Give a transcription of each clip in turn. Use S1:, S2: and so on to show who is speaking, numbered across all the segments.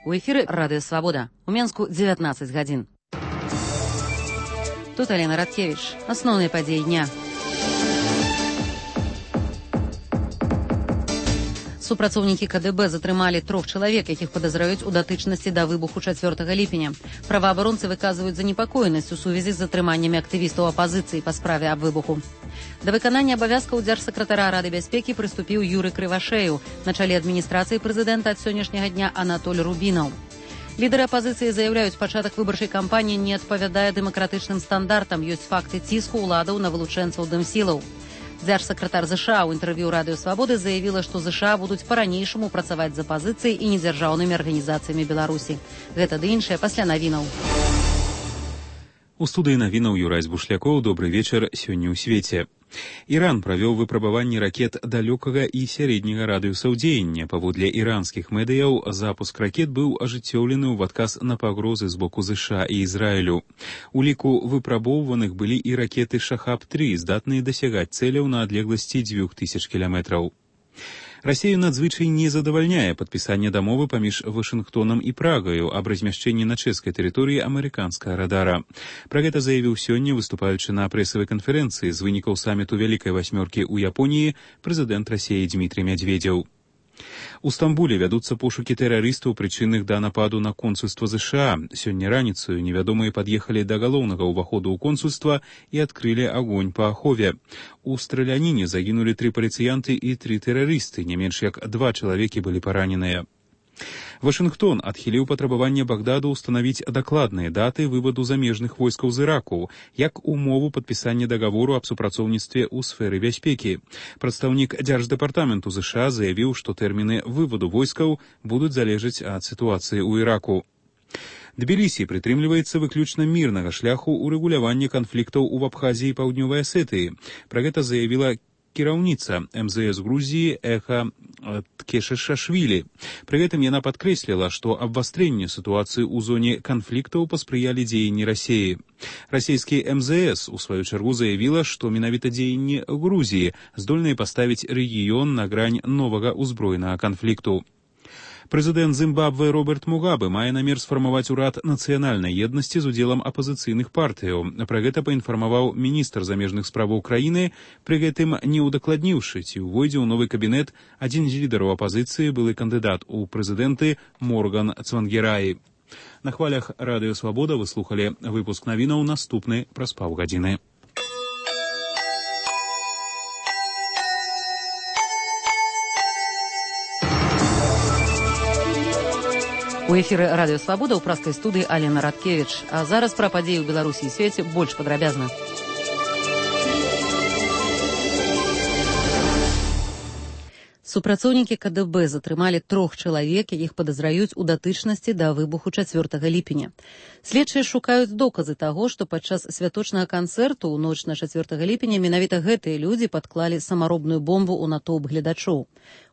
S1: У эфіры Радыё Свабода. У Менску 19 гадзін. Тут Алена Радкевич. Асноўныя падзеі дня. Супрацоўнікі КДБ затрымалі 3 чалавек, якіх падазраюць у датычнасці да выбуху 4 ліпеня. Праваабаронцы выказваюць занепакоенасць у сувязі з затрыманнямі актывістаў апазіцыі па справе аб выбуху. Да выканання абавязкаў дзяржсакратара Рады бяспекі прыступіў Юры Крывашею. На чале адміністрацыі прэзідэнта ад сённяшняга дня Анатоль Рубінаў. Лідары апазіцыі заяўляюць, пачатак выбарчай кампаніі не адпавядае дэмакратычным стандартам. Ёсць факты ціску ўладаў на вылучэнцаў дэмсілаў. Дзяржсакратар ЗША ў інтэрв'ю Радыё Свабоды заявіла, што ЗША будуць па-ранейшаму працаваць з апазіцыяй і недзяржаўнымі арганізацыямі Беларусі. Гэта ды іншае пасля навінаў.
S2: У студыі навінаў Юрай Бушлякоў. Добры вечар сёння ў свеце. Іран правёў выпрабаванні ракет далёкага і сярэдняга радыуса дзеяння. Паводле іранскіх медыяў, запуск ракет быў ажыццёўлены ў адказ на пагрозы з боку ЗША і Ізраілю. У ліку выпрабоўваных былі і ракеты «Шахаб-3», здатныя дасягаць цэляў на адлегласці 2000 кіламетраў. Расію надзвычай не задавальняе падпісанне дамовы паміж Вашынгтонам і Прагаю аб размяшчэнні на чэшскай тэрыторыі амерыканскага радара. Пра гэта заявіў сёння, выступаючы на прэсавай канферэнцыі з вынікаў саміту Вялікай васьмёркі ў Японіі, прэзідэнт Расіі Дмітрый Медведзеў. У Стамбуле вядуцца пошукі тэрарыстаў, прычынных да нападу на консульства ЗША. Сёння раніцаю невядомыя пад'ехалі да галоўнага ўваходу ў консульства і адкрылі агонь па ахове. У страляніне загінулі 3 паліцыянты і 3 тэрарысты, не менш як 2 чалавекі былі параненыя. Вашынгтон адхіліў патрабаванне Багдаду ўстанавіць дакладныя даты вываду замежных войскаў з Іраку, як умову падпісання дагавору аб супрацоўніцтве ў сферы бяспекі. Прадстаўнік Дзярждэпартаменту ЗША заявіў, што тэрміны вываду войскаў будуць залежаць ад сітуацыі ў Іраку. Тбілісі прытрымліваецца выключна мірнага шляху ўрэгулявання канфліктаў у Абхазіі і Паўднёвай Асетыі. Пра гэта заявіла кіраўніца МЗС Грузіі Эха Ткешашвілі. Пры гэтым яна падкрэсліла, што абвастрэнню сітуацыі ў зоне канфліктаў паспрыялі дзеянні Расіі. Расійскі МЗС у сваю чаргу заявіла, што менавіта дзеянні Грузіі здольныя паставіць рэгіён на грань новага ўзброенага канфлікту. Прэзідэнт Зімбабве Роберт Мугабе мае намер сфармаваць урад нацыянальнай еднасці з удзелам апазіцыйных партыяў. Пра гэта паінфармаваў міністр замежных справаў краіны, пры гэтым не ўдакладніўшы, ці ўвойдзе ў новы кабінет адзін з лідараў апазіцыі, былы кандыдат у прэзідэнты Морган Цвангераі. На хвалях Радыё Свабода вы слухалі выпуск навінаў, наступны праз паўгадзіны.
S1: У эфіры Радыё Свабода ў праскай студыі Алена Радкевич. А зараз пра падзеі ў Беларусі і свеце больш падрабязна. Супрацоўнікі КДБ затрымалі 3 чалавек, якіх падазраюць у датычнасці да выбуху 4 ліпеня. Следчыя шукаюць доказы таго, што падчас святочнага канцэрту ў ноч на 4 ліпеня менавіта гэтыя людзі падклалі самаробную бомбу ў натоўп гледачоў.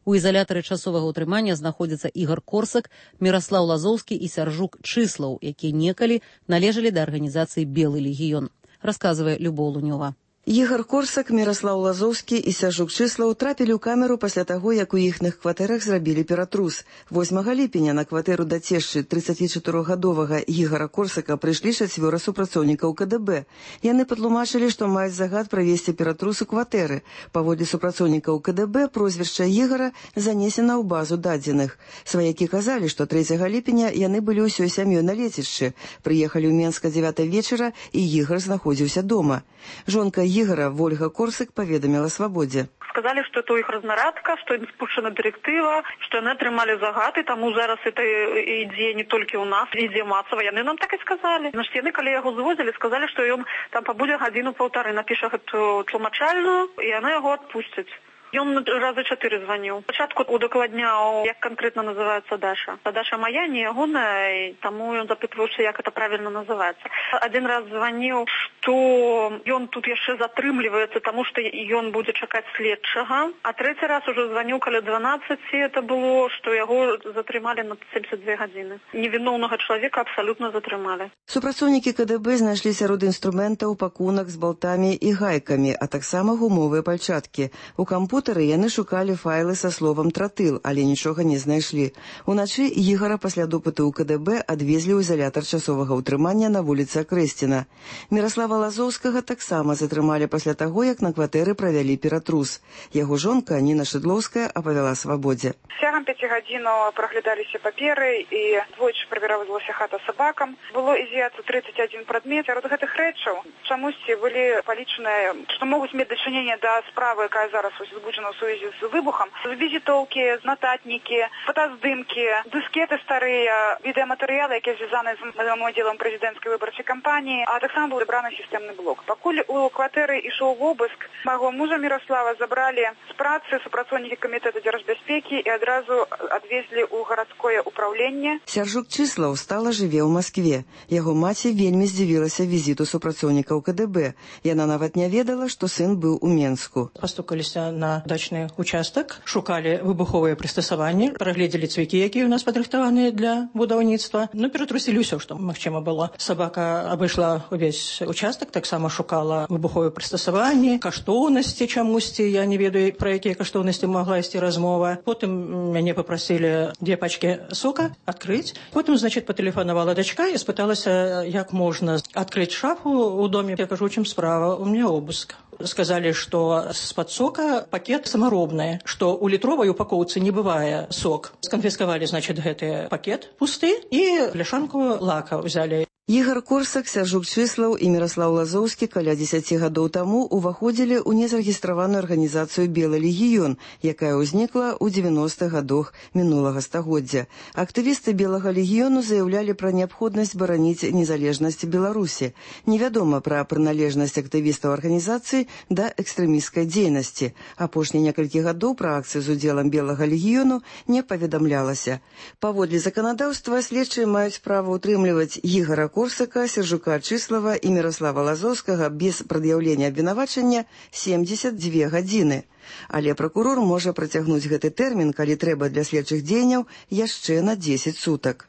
S1: У ізалятары часовага ўтрымання знаходзяцца Ігар Корсак, Міраслаў Лазоўскі і Сяржук Чыслаў, якія некалі належалі да арганізацыі «Белы легіён», расказвае Любоў Лунёва.
S3: Ігар Корсак, Міраслаў Лазоўскі і Сяржук Чыслаў трапілі ў камеру пасля таго, як у іхных кватэрах зрабілі ператрус. 8 ліпеня на кватэру да цешчы 34-гадовага Ігара Корсака прыйшлі 4 супрацоўнікаў КДБ. Яны патлумачылі, што маюць загад правесці ператрус у кватэры. Паводле супрацоўнікаў КДБ прозвішча Ігара занесена ў базу дадзеных. Сваякі казалі, што 3 ліпеня яны былі ўсёй сям'ёй на лецішчы. Прыехалі ў Менска 9 вечара, і Ігар знаходзіўся дома. Жонка Ігара Вольга Корсак паведаміла Свабодзе.
S4: Сказали, что это их разнарадка, что им спущена директива, что они отримали загад, и тому зараз это идея не только у нас, идея массовая. Яны нам так и сказали. Значит, яны, коли его завозили, сказали, что он там побуде 1-1,5, напише эту тлумачальную, и она его отпустит. Ён разы 4 званіў. Спачатку удакладняў, як канкрэтна называецца Даша. А Даша моя, не ягоная, і таму ён запытваўся, як это правильно называецца. Один раз званіў, што ён тут яшчэ затрымліваецца, таму што ён будзе чакаць следчага. А трэці раз уже званіў каля 12, это было, што яго затрымалі на 72 гадзіны. Невіноўнага чалавека абсалютна затрымалі.
S3: Супрацоўнікі КДБ знайшлі сярод інструментаў пакунак з балтамі і гайкамі, а таксама гумовыя пальчаткі. У кампусе хутары яны шукалі файлы са словам «тратыл», але нічога не знайшлі. Уначы Ігара пасля допыту ў КДБ адвезлі ў изолятар часовага ўтрымання на вуліцы Акрэсціна. Міраслава Лазоўскага таксама затрымалі пасля таго, як на кватэры правялі ператрус. Яго жонка Ніна Шыдлоўская апавяла «Свабодзе».
S5: Цягам 5 гадзінаў праглядаліся паперы і двойчы правяравалася хата сабакам. Было із'ято 31 прадмет. Сярод гэтых рэчаў чамусьці былі палічаныя, што могуць мець дачыненне да справы, якая зараз узбуджана ў сувязі з выбухам. Візітоўкі, нататнікі, фотаздымкі, дыскеты старыя, відэаматэрыялы, якія звязаны з удзелам прэзідэнцкай выбарчай кампаніі, а таксама быў забраны сістэмны блок. Пакуль у кватэры ішоў вобыск, майго мужа Міраслава забралі з працы супрацоўнікі камітэта дзяржбяспекі і адразу адвезлі ў гарадское ўпраўленне.
S3: Сяржук Чыслаў стала жыве ў Маскве. Яго маці вельмі здзівілася візіту супрацоўнікаў КДБ. Яна нават не ведала, што сын быў у Менску.
S6: Пастукаліся на дачны участак, шукалі выбуховыя прыстасаванні, прагледзелі цвікі, якія ў нас падрыхтаваныя для будаўніцтва. Ператрусілі ўсё, што магчыма было. Сабака абышла увесь участак, таксама шукала выбуховыя прыстасаванні, каштоўнасці чамусьці, я не ведаю, пра якія каштоўнасці могла ісці размова. Потым мяне папрасілі 2 пачкі сока адкрыць. Потым, патэлефанавала дачка і спыталася, як можна адкрыць шафу ў доме. Я кажу, у чым справа? У меня обыск. Сказали, что з-пад сока пакет самаробны, што ў літровай упакоўцы не бывае сок. Сканфіскавалі, гэты пакет пусты і пляшанку лака ўзялі.
S3: Ігар Корсак, Сяржук Чыслаў і Міраслаў Лазоўскі каля 10 гадоў таму ўваходзілі ў незарэгістраваную арганізацыю «Белы легіён», якая ўзнікла ў 90-х гадах мінулага стагоддзя. Актывісты Белага легіёну заяўлялі пра неабходнасць бараніць незалежнасць Беларусі. Невядома пра прыналежнасць актывістаў арганізацыі да экстрэмісцкай дзейнасці. Апошнія некалькі гадоў пра акцыю з удзелам Белага легіёну не паведамлялася. Паводле заканадаўства следчыя маюць права ўтрымліваць Ігара Корсака, Сяржука Чыслава і Міраслава Лазоўскага без прад'яўлення абвінавачання 72 гадзіны. Але пракурор можа працягнуць гэты тэрмін, калі трэба для следчых дзеянняў, яшчэ на 10 сутак.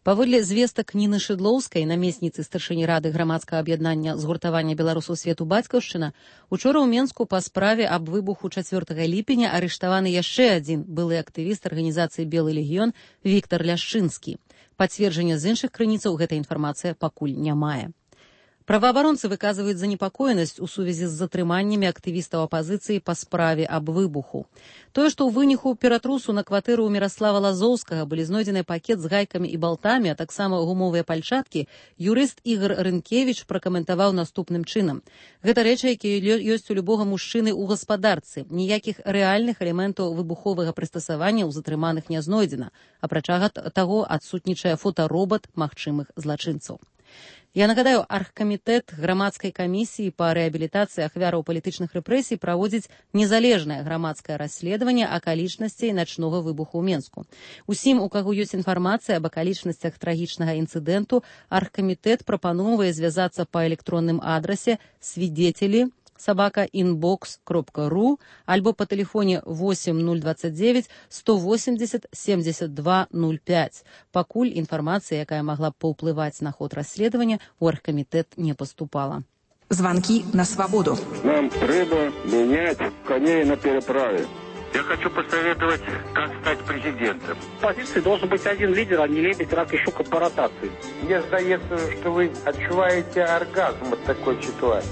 S1: Паводле звестак Ніны Шыдлоўскай, намесніцы старшыні рады грамадскага аб'яднання згуртавання беларусаў свету «Бацькаўшчына», учора ў Менску па справе аб выбуху 4 ліпеня арыштаваны яшчэ адзін былы актывіст арганізацыі «Белы легіён» Віктар Ляшчынскі. Пацверджання з іншых крыніцаў гэта інфармацыя пакуль не мае. Праваабаронцы выказваюць занепакоенасць у сувязі з затрыманнямі актывістаў апазіцыі па справе аб выбуху. Тое, што ў выніку ператрусу на кватэру ў Міраслава Лазоўскага былі знойдзены пакет з гайкамі і балтамі, а таксама гумовыя пальчаткі, юрыст Ігар Рынкевіч пракаментаваў наступным чынам. Гэта рэчы, якія ёсць у любога мужчыны ў гаспадарцы. Ніякіх рэальных элементаў выбуховага прыстасавання ў затрыманых не знойдзена. Апрача таго, адсутнічае фотаробат магчымых злачынцаў. Я нагадаю, аргкамітэт грамадскай камісіі па рэабілітацыі ахвяраў палітычных рэпрэсій праводзіць незалежнае грамадскае расследаванне акалічнасцей начнога выбуху ў Менску. Усім, у каго ёсць інфармацыя аб акалічнасцях трагічнага інцыдэнту, аргкамітэт прапановвае звязацца па электронным адрасе свидетели@inbox.ru альбо па тэлефоне 8029 180 7205. Пакуль інфармацыя, якая магла б паўплываць на ход расследавання, у аргкамітэт не поступала.
S7: Звонки на свободу.
S8: Нам треба менять коней на переправе.
S9: Я хочу посоветовать, как стать президентом.
S10: В оппозиции должен быть один лидер, а не лебедь, рак и щука по ротации.
S11: Мне здається, что вы отчуваете оргазм от такой ситуации.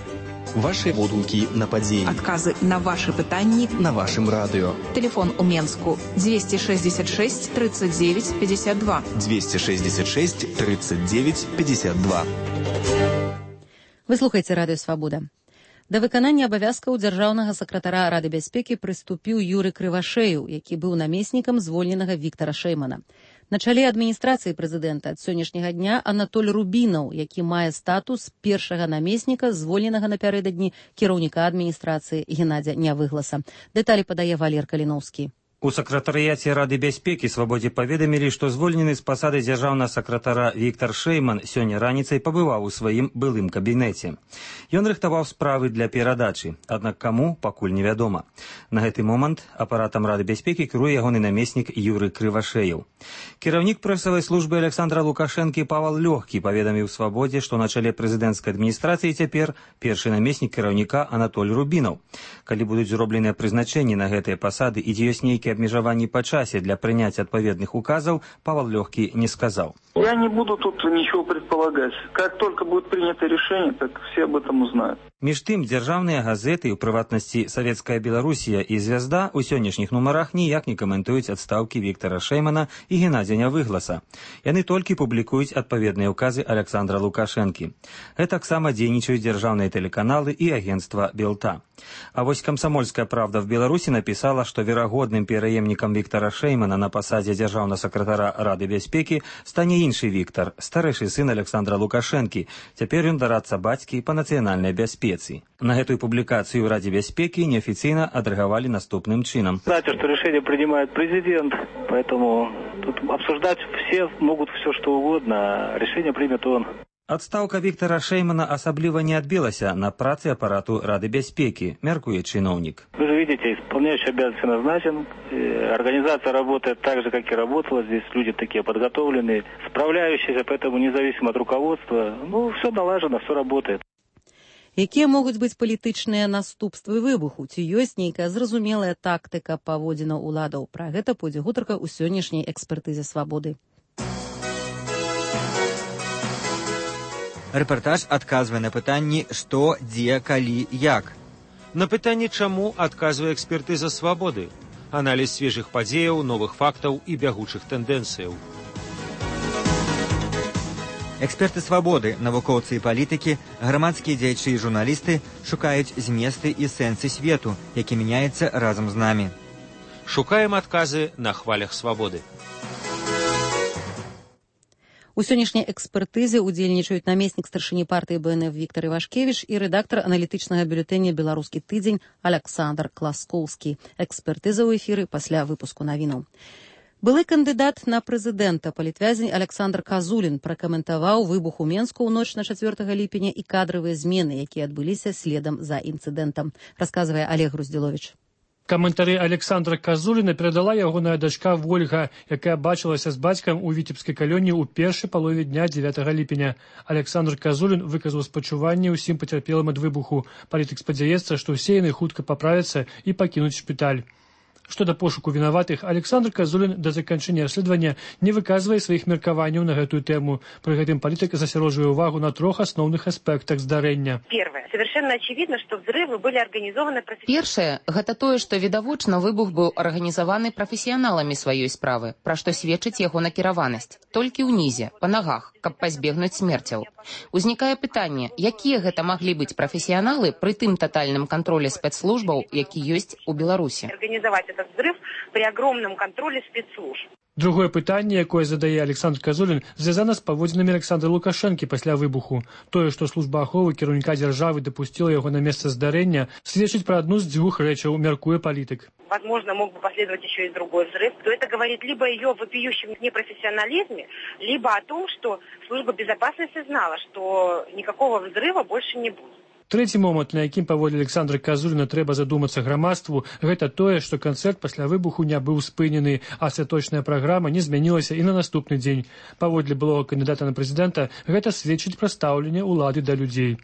S12: Ваши водгуки на падзенні.
S7: Адказы на ваши пытанні
S12: на вашым радыё.
S7: Телефон у Менску 266 39 52.
S12: 266 39 52.
S1: Вы слухаеце радыё Свабода. Да выканання абавязкаў дзяржаўнага сакратара Рады бяспекі прыступіў Юры Крывашею, які быў намеснікам звольненага Віктара Шэймана. На чале адміністрацыі прэзідэнта ад сённяшняга дня Анатоль Рубінаў, які мае статус першага намесніка, звольненага напярэдадні кіраўніка адміністрацыі Геннадзя Нявыгласа. Дэталі падае Валер Каліноўскі.
S13: У сакратарыяце Рады бяспекі «Свабодзе» паведамілі, што звольнены з пасады дзяржаўнага сакратара Віктар Шэйман сёння раніцай пабываў у сваім былым кабінеце. Ён рыхтаваў справы для перадачы, аднак каму, пакуль невядома. На гэты момант апаратам Рады бяспекі кіруе ягоны намеснік Юрый Крывашеяў. Кіраўнік прэсавай службы Александра Лукашэнкі Павал Лёгкі паведаміў «Свабодзе», што на чале прэзідэнцкай адміністрацыі цяпер першы намеснік кіраўніка Анатоль Рубінаў. Калі будуць зробленыя прызначэнні на гэтыя пасады і дзе ёсць нейкія обмежаванні по часе для прыняцця адпаведных указаў, Павел Лёгкі не сказал.
S14: Я не буду тут ничего предполагать. Как только будет принято решение, так все об этом узнают.
S13: Між тым, дзяржаўныя газеты, у прыватнасці «Савецкая Беларусія» і «Звязда» у сённяшніх нумарах ніяк не каментуюць адстаўкі Віктара Шэймана і Геннадзя Нявыгласа. Яны толькі публікуюць адпаведныя ўказы Александра Лукашэнкі. Гэтаксама дзейнічаюць дзяржаўныя тэлеканалы і агенцтва «Белта». А вось «Комсомольская правда» в Беларусі напісала, што верагодным пераемнікам Віктара Шэймана на пасадзе дзяржаўнага сакратара Рады бяспекі стане іншы Віктар, старэйшы сын Александра Лукашэнкі. Цяпер ён дарадца бацькі па нацыянальнай бяспецы. На гэтую публікацыю ў Раде бяспекі неафіцыйна адрэагавалі наступным чынам.
S15: Знаете, что решение принимает президент, поэтому тут обсуждать все могут все что угодно, а решение примет он.
S13: Адстаўка Віктара Шэймана асабліва не адбілася на працы апарату Рады бяспекі, мяркуе чыноўнік.
S15: Вы же видите, исполняющий обязанности назначен, организация работает так же, как и работала, здесь люди такие подготовленные, справляющиеся, поэтому независимо от руководства, все налажено, все работает.
S1: Якія могуць быць палітычныя наступствы выбуху? Ці ёсць нейкая зразумелая тактыка паводзінаў уладаў? Пра гэта пойдзе гутарка ў сённяшняй экспертызе «Свабоды».
S16: Рэпартаж адказвае на пытанні «Што, дзе, калі, як?».
S17: На пытанні «Чаму» адказвае экспертыза «Свабоды». Аналіз свежых падзеяў, новых фактаў і бягучых тэндэнцыяў.
S16: Эксперты «Свабоды», навукоўцы і палітыкі, грамадскія дзеячы і журналісты шукаюць зместы і сэнсы свету, які мяняецца разам з намі.
S17: Шукаем адказы на хвалях «Свабоды».
S1: У сённяшняй экспертызе удзельнічаюць намеснік старшыні партыі БНФ Віктар Івашкевіч і рэдактар аналітычнага бюлетэня «Беларускі тыдзень» Александр Класкоўскі. Экспертыза ў эфіры пасля выпуску навінаў. Былы кандыдат на прэзідэнта, палітвязень Александр Казулін пракаментаваў выбух у Менску ў ноч на 4 ліпеня і кадравыя змены, якія адбыліся следам за інцыдэнтам, расказвае Олег Груздзіловіч.
S18: Каментары Александра Казуліна перадала ягоная дачка Вольга, якая бачылася з бацькам у Віцебскай калоніі ў першай палове дня 9 ліпеня. Александр Казулін выказаў спачуванне ўсім пацярпелым ад выбуху. Палітык спадзяецца, што ўсе яны хутка паправяцца і пакінуць шпіталь. Што да пошуку вінаватых, Александр Казулін да заканчэння расследавання не выказвае сваіх меркаванняў на гэтую тэму. Пры гэтым палітык засяроджвае ўвагу на 3 асноўных аспектах здарэння.
S19: Первое. Совершенно очевидно, что взрывы были организованы профессионалами.
S20: Першае, гэта тое, што відавочна выбух быў арганізаваны прафесіяналамі сваёй справы, пра што сведчыць яго накіраванасць. Толькі ўнізе, па нагах, каб пазбегнуць смерцяў. Узнікае пытанне, якія гэта маглі быць прафесіяналы пры тым татальным кантролі спецслужбаў, які ёсць у Беларусі.
S19: Организовать этот взрыв при огромном контроле спецслужб.
S18: Другое пытанне, якое задае Александр Казулін, звязана з паводзінамі Александра Лукашэнкі пасля выбуху. Тое, што служба аховы кіраўніка дзяржавы дапусціла яго на месца здарэння, сведчыць пра адну з 2 рэчаў, мяркуе палітык.
S19: Возможно, мог бы последовать еще и другой взрыв. То это говорит либо о ее вопиющем непрофессионализме, либо о том, что служба безопасности знала, что никакого взрыва больше не будет.
S18: Трэці момант, на якім паводле Александра Казуліна трэба задумацца грамадству, гэта тое, што канцэрт пасля выбуху не быў спынены, а святочная праграма не змянілася і на наступны дзень. Паводле былога кандыдата на прэзідэнта гэта сведчыць пра стаўленне ўлады да людзей.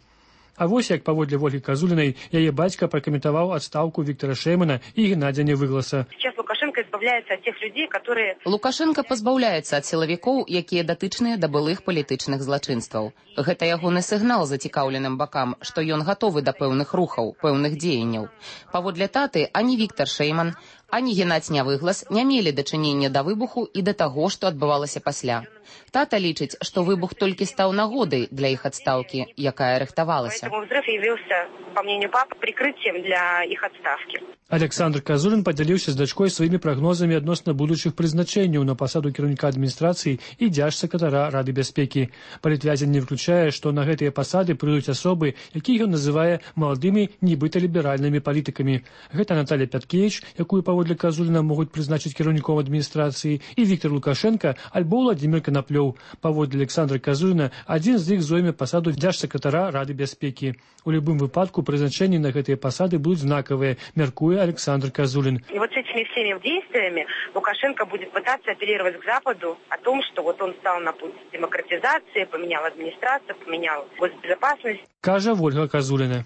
S18: А вось як паводле Ольгі Казулінай яе бацька пракаментаваў адстаўку Віктара Шэймана і Геннадзя Нявыгласа.
S19: Сейчас Лукашенко избавляется от тех людей, которые...
S20: Лукашенко пазбаўляецца ад сілавікоў, якія датычныя да былых палітычных злачынстваў. Гэта ягоны сігнал зацікаўленым бакам, што ён гатовы да пэўных рухаў, пэўных дзеянняў. Паводле таты, ані Віктар Шэйман, ані Геннадзь Нявыглас не мелі дачынення да выбуху і да таго, што адбывалася пасля. Тата лічыць, што выбух толькі стаў нагодай для іх адстаўкі, якая рыхтавалася.
S19: Поэтому взрыв явился, по мнению папы, прикрытием для их отставки.
S18: Александр Казулін падзяліўся з дачкой сваімі сваімі прагнозамі адносна будучых прызначэнняў на пасаду кіраўніка адміністрацыі і дзяржсакратара Рады бяспекі. Палітвязень не выключае, што на гэтыя пасады прыйдуць асобы, якія ён называе маладымі нібыта ліберальнымі палітыкамі. Гэта Наталья Пяткевіч, якую паводле Казуліна могуць прызначыць кіраўніком адміністрацыі, і Віктор Лукашенко альбо Владимир Коноплёў. Паводле Александра Казуліна, адзін з іх зойме пасаду дзяржсакратара Рады бяспекі. У любым выпадку прызначэнні на гэтыя пасады будуць знакавыя, мяркуе Александр Казулин.
S19: И вот с этими всеми действиями Лукашенко будет пытаться апеллировать к Западу о том, что вот он стал на путь демократизации, поменял администрацию, поменял госбезопасность.
S18: Кажа Ольга Казуліна.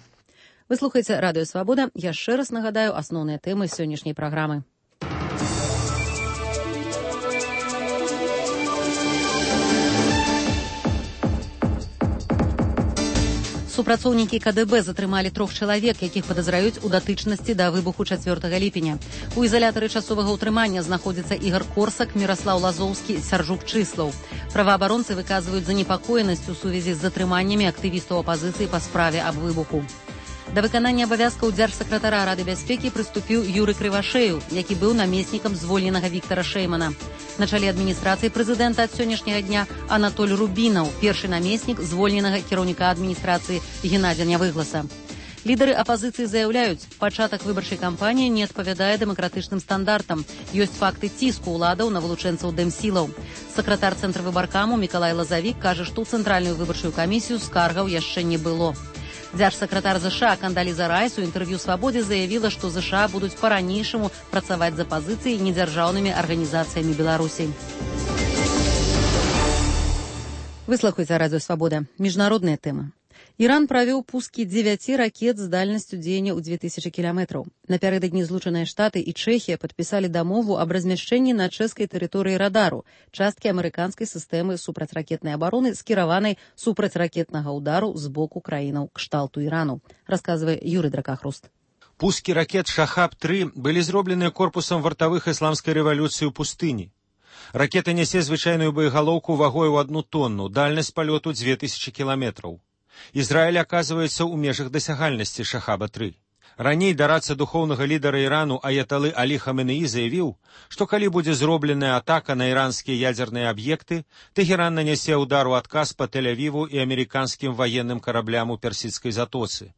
S1: Вы слухаеце Радыё Свабода. Яшчэ раз нагадаю асноўныя тэмы сённяшняй праграмы. Супрацоўнікі КДБ затрымалі 3 чалавек, якіх падазраюць у датычнасці да выбуху 4 ліпеня. У ізалятары часовага ўтрымання знаходзяцца Ігар Корсак, Міраслаў Лазоўскі, Сяржук Чыслаў. Праваабаронцы выказваюць занепакоенасць у сувязі з затрыманнямі актывістаў апазіцыі па справе аб выбуху. Да выканання абавязкаў дзяржсакратара Рады бяспекі прыступіў Юры Крывашею, які быў намеснікам звольненага Віктара Шэймана. На чале адміністрацыі прэзідэнта ад сённяшняга дня Анатоль Рубінаў, першы намеснік звольненага кіраўніка адміністрацыі Геннадзя Нявыгласа. Лідары апазіцыі заяўляюць, пачатак выбарчай кампаніі не адпавядае дэмакратычным стандартам. Ёсць факты ціску ўладаў на вылучэнцаў дэмсілаў. Сакратар цэнтра выбаркаму Мікалай Лазавік кажа, што ў цэнтральную выбарчую камісію скаргаў яшчэ не было. Дзяржсакратар ЗША Кандаліза Райс у інтэрв'ю «Свабодзе» заявіла, што ЗША будуць па-ранейшаму працаваць з апазіцыяй і недзяржаўнымі арганізацыямі Беларусі. Вы слухаеце Радыё Свабода. Міжнародныя тэмы. Іран правёў пускі 9 ракет з дальнасцю дзеяння ў 2000 кіламетраў. Напярэдадні Злучаныя Штаты і Чэхія падпісалі дамову аб размяшчэнні на чэшскай тэрыторыі радару, часткі амерыканскай сістэмы супрацьракетнай абароны, скіраванай супрацьракетнага ўдару з боку краінаў кшталту Ірану, расказвае Юрый Дракахруст.
S17: Пускі ракет «Шахаб-3» былі зроблены корпусам вартавых ісламскай рэвалюцыі ў пустыні. Ракета нясе звычайную боегалоўку вагой у 1 тонну, дальнасць палёту 2000 кіламетраў. Ізраіль аказваецца ў межах дасягальнасці «Шахаба-3». Раней дарадца духоўнага лідара Ірану Аяталы Алі Хаменеі заявіў, што калі будзе зробленая атака на іранскія ядзерныя аб'екты, Тэхеран нанясе ўдар у адказ па Тель-Авіву і амерыканскім ваенным караблям у Персідскай затоцы.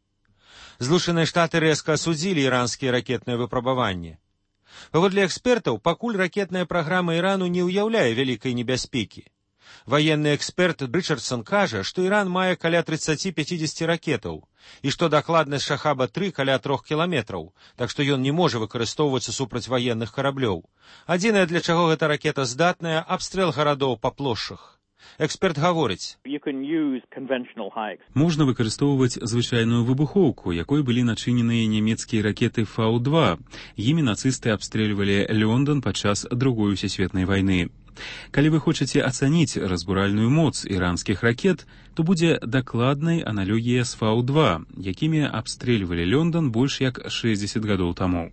S17: Злучаныя Штаты рэзка асудзілі іранскія ракетныя выпрабаванні. Паводле экспертаў, пакуль ракетная праграма Ірану не ўяўляе вялікай небяспекі. Ваенны эксперт Рычардсон кажа, што Іран мае каля 30-50 ракетаў, і што дакладнасць «Шахаба-3» каля 3 кіламетраў, так што ён не можа выкарыстоўвацца супраць ваенных караблёў. Адзінае, для чаго гэта ракета здатная, абстрэл гарадоў па плошчах. Эксперт гаворыць,
S2: можна выкарыстоўваць звычайную выбухоўку, якой былі начыненыя нямецкія ракеты Фау-2. Імі нацысты абстрэльвалі Лондон падчас Другой сусветнай вайны. Калі вы хочаце ацаніць разбуральную моц іранскіх ракет, то будзе дакладнай аналогія з Фау-2, якімі абстрэльвалі Лондон больш як 60 гадоў таму.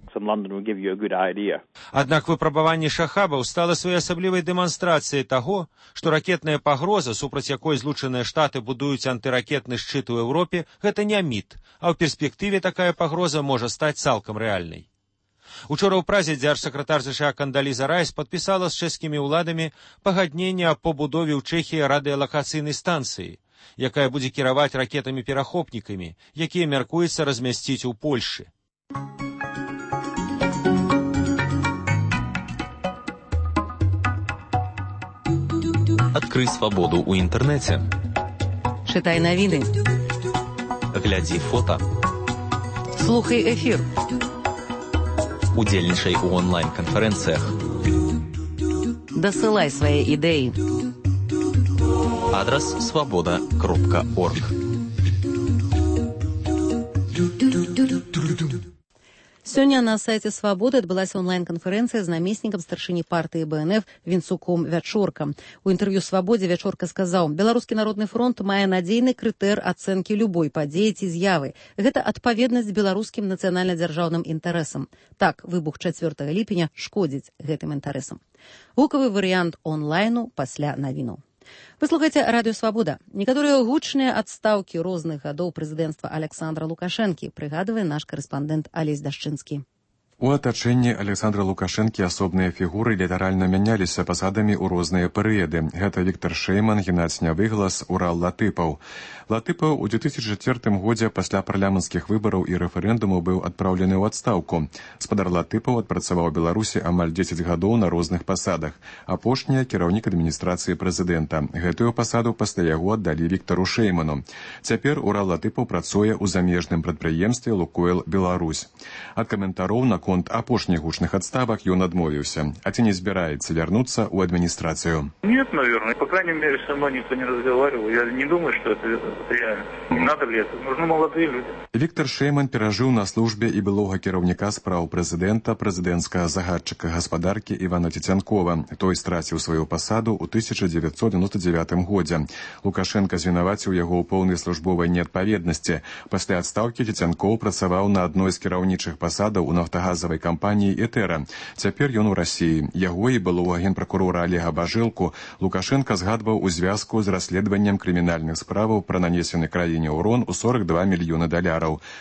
S17: Аднак выпрабаванне шахабаў стала своеасаблівай дэманстрацыяй таго, што ракетная пагроза, супраць якой Злучаныя Штаты будуюць антыракетны шчыт у Еўропе, гэта не міт, а ў перспектыве такая пагроза можа стаць цалкам рэальнай. Учора ў Празе дзяржсакратар ЗША Кандаліза Райс падпісала з чэшскімі ўладамі пагадненне аб пабудове ў Чэхіі радыёлакацыйнай станцыі, якая будзе кіраваць ракетамі-перахопнікамі, якія мяркуецца размясціць у Польшы.
S12: Адкрый свабоду ў інтэрнэце.
S1: Чытай навіны.
S12: Глядзі фота.
S1: Слухай эфір.
S12: Удзельнічай у онлайн-канферэнцыях.
S1: Дасылай свае ідэі.
S12: Адрас свабода.орг.
S1: Сёння на сайце «Свабоды» адбылася онлайн-канферэнцыя з намеснікам старшыні партыі БНФ Вінцуком Вячорка. У інтэрв'ю «Свабодзе» Вячорка сказаў, Беларускі народны фронт мае надзейны крытэр ацэнкі любой падзеі ці з'явы. Гэта адпаведнасць беларускім нацыянальна-дзяржаўным інтарэсам. Так, выбух 4 ліпеня шкодзіць гэтым інтарэсам. Гукавы варыянт онлайну пасля навінаў. Вы слухаеце Радыё Свабода. Некаторыя гучныя адстаўкі розных гадоў прэзідэнцтва Александра Лукашэнкі, прыгадвае наш карэспандэнт Алесь Дашчынскі.
S21: У атачэнні Александра Лукашэнкі асобныя фігуры літаральна мяняліся пасадамі ў розныя перыяды. Гэта Віктор Шэйман, Геннадзь Нявыглас, Урал Латыпаў. Латыпаў у 2004 годзе пасля парламенцкіх выбараў і рэферэндуму быў адпраўлены ў адстаўку. Спадар Латыпаў адпрацаваў Беларусі амаль 10 гадоў на розных пасадах. Апошняя кіраўнік адміністрацыі прэзідэнта. Гэтую пасаду пасля яго аддалі Віктару Шэйману. Цяпер Урал Латыпаў працуе ў замежным прадпрыемстве «Лукойл Беларусь». Ад каментароў на конт апошніх гучных адставак ён адмовіўся. А ці не збіраецца вярнуцца ў адміністрацыю?
S15: Нет, наверное. По крайней мере, со мной никто не разговаривал. Я не думаю, что это реально. Не надо ли это? Нужны молодые люди.
S21: Віктор Шэйман перажыў на службе і былога кіраўніка спраў прэзідэнта, прэзідэнцкага загадчыка гаспадаркі Івана Цецянкова. Той страціў сваю пасаду ў 1999 годзе. Лукашенка звінаваціў яго ў поўнай службовай неадпаведнасці. Пасля адстаўкі Цецянкоў працаваў на адной з кіраўнічых пасадаў у нафтагазавай кампаніі «Этэра». Цяпер ён у Расіі. Яго і былога генпракурора Олега Бажэлку Лукашенка згадваў у звязку з расследаваннем крымінальных справаў пра нанесены краіне ўрон у $42 мільёны.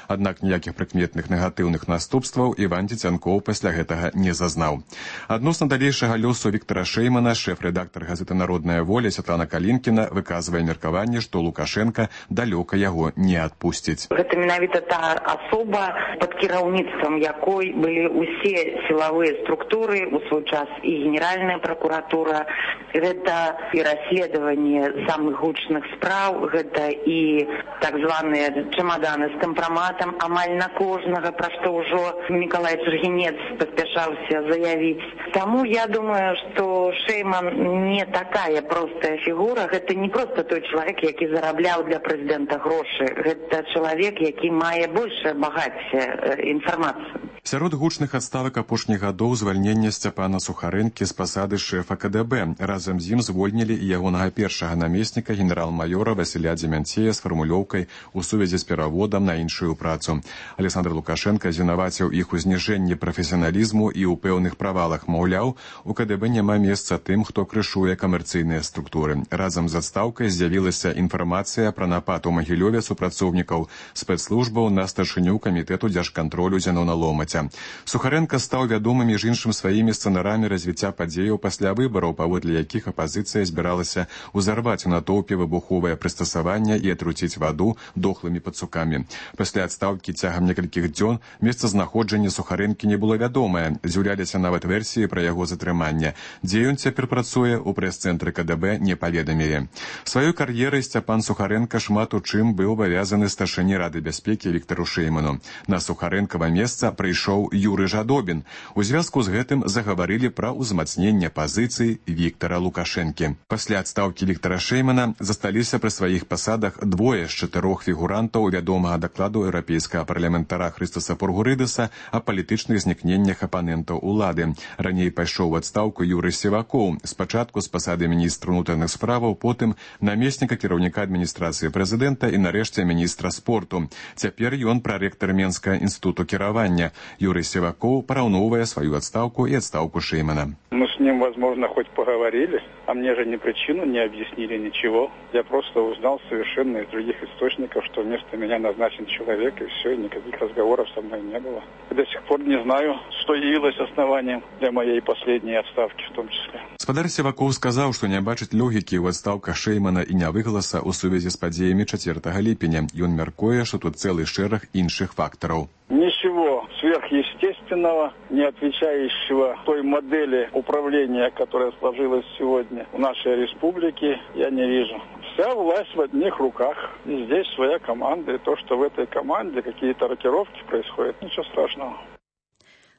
S21: Аднак ніякіх прыкметных негатыўных наступстваў Іван Цецянкоў пасля гэтага не зазнаў. Адносна далейшага лёсу Віктора Шэймана шэф-рэдактар газеты «Народная воля» Святлана Калінкіна выказвае меркаванне, што Лукашенка далёка яго не адпусціць.
S22: Гэта менавіта та асоба, пад кіраўніцтвам якой былі ўсе сілавыя структуры, у свой час і Генеральная прокуратура, гэта і расследаванне самых гучных спраў, гэта і так званыя чемоданы з кампраматам амаль на кожнага, пра што ўжо Мікалай Чыргінец паспяшаўся заявіць. Таму я думаю, што Шэйман не такая простая фігура, гэта не проста той чалавек, які зарабляў для прэзідэнта грошы, гэта чалавек, які мае большае багацце інфармацыі.
S21: Сярод гучных адставак апошніх гадоў звальнення Сцяпана Сухарэнкі з пасады шэфа КДБ. Разам з ім звольнілі і ягонага першага намесніка генерал-маёра Васіля Дземянцея з фармулёўкай у сувязі з пераводам на іншую працу. Александр Лукашенка звінаваціў іх у зніжэнні прафесіяналізму і ў пэўных правалах. Маўляў, у КДБ няма месца тым, хто крышуе камерцыйныя структуры. Разам з адстаўкай з'явілася інфармацыя пра напад у Магілёве супрацоўнікаў спецслужбаў на старшыню камітэту дзяржкантролю Зянона Ломаця. Сухаренко стаў вядомым між іншым сваімі сцэнарамі развіцця падзеяў пасля выбараў, паводле якіх апазіцыя збіралася ўзарваць у натоўпе выбуховае прыстасаванне і атруціць ваду дохлымі пацукамі. Пасля адстаўкі цягам некалькіх дзён месцазнаходжанне Сухарэнкі не было вядомае. З'яўляліся нават версіі пра яго затрыманне. Дзе ён цяпер працуе, у прэс-цэнтры КДБ не паведамілі. Сваёй кар'ерай Сцяпан Сухаренка шмат у чым быў абавязаны старшыні Рады бяспекі Віктару Шэйману. На Сухарэнкава месца прыйшоў Юры Жадобін. У звязку з гэтым загаварылі пра ўзмацненне пазіцый Віктара Лукашэнкі. Пасля адстаўкі Віктара Шэймана засталіся пры сваіх пасадах двое з 4 фігурантаў вядомага дакладу еўрапейскага парламентара Хрыстаса Пургурыдаса о палітычных знікненнях апанентаў улады. Раней пайшоў у адстаўку Юрый Севакоў, спачатку з пасады міністра ўнутраных справаў, потым намесніка кіраўніка адміністрацыі прэзідэнта і нарэшце міністра спорту. Цяпер ён прарэктар Менскага інстытуту кіравання. Юрий Севакоў параўноўвае сваю адстаўку і адстаўку Шэймана.
S11: Мы с ним, возможно, хоть поговорили, а мне же ни причину не объяснили, ничего. Я просто узнал совершенно из других источников, что вместо меня назначен человек, и все, и никаких разговоров со мной не было. До сих пор не знаю, что явилось основанием для моей последней отставки в том числе.
S21: Спадар Севакоў сказаў, што не бачыць логікі ў адстаўках Шэймана і Нявыгласа ў сувязі з падзеямі 4 ліпеня. Ён мяркуе, што тут цэлы шэраг іншых фактараў.
S11: Ничего сверхъестественного, не отвечающего той модели управления, которая сложилась сегодня в нашей республике, я не вижу. Вся власть в одних руках. И здесь своя команда. И то, что в этой команде какие-то рокировки происходят, ничего страшного.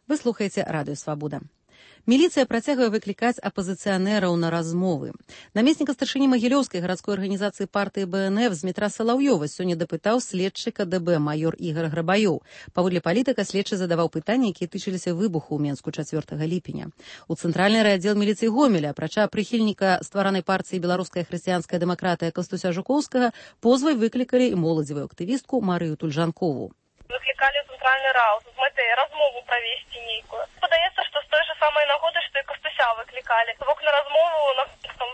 S1: Вы слухаеце Радыё Свабода. Міліцыя працягвае выклікаць апазіцыянераў на размовы. Намесніка старшыні Магілёўскай гарадской арганізацыі партыі БНФ Змітра Салаўёва сёння дапытаў следчы КДБ майор Ігор Грабаёў. Паводле палітыка следчы задаваў пытанні, якія тычыліся выбуху ў Менску 4 ліпеня. У цэнтральны райаддзел міліцыі Гомеля, апрача прыхільніка стваранай партыі беларуская хрысціянская дэмакратыя Кастуся Жукоўскага, позвай выклікалі і моладзевую актывістку Марыю Тульжанкову.
S23: Выклікалі цэнтральны раунд з мэтай размову правесці нейкую. Падаецца, што з той же самай нагоды, што і Кастуся выклікалі. Бок на размову на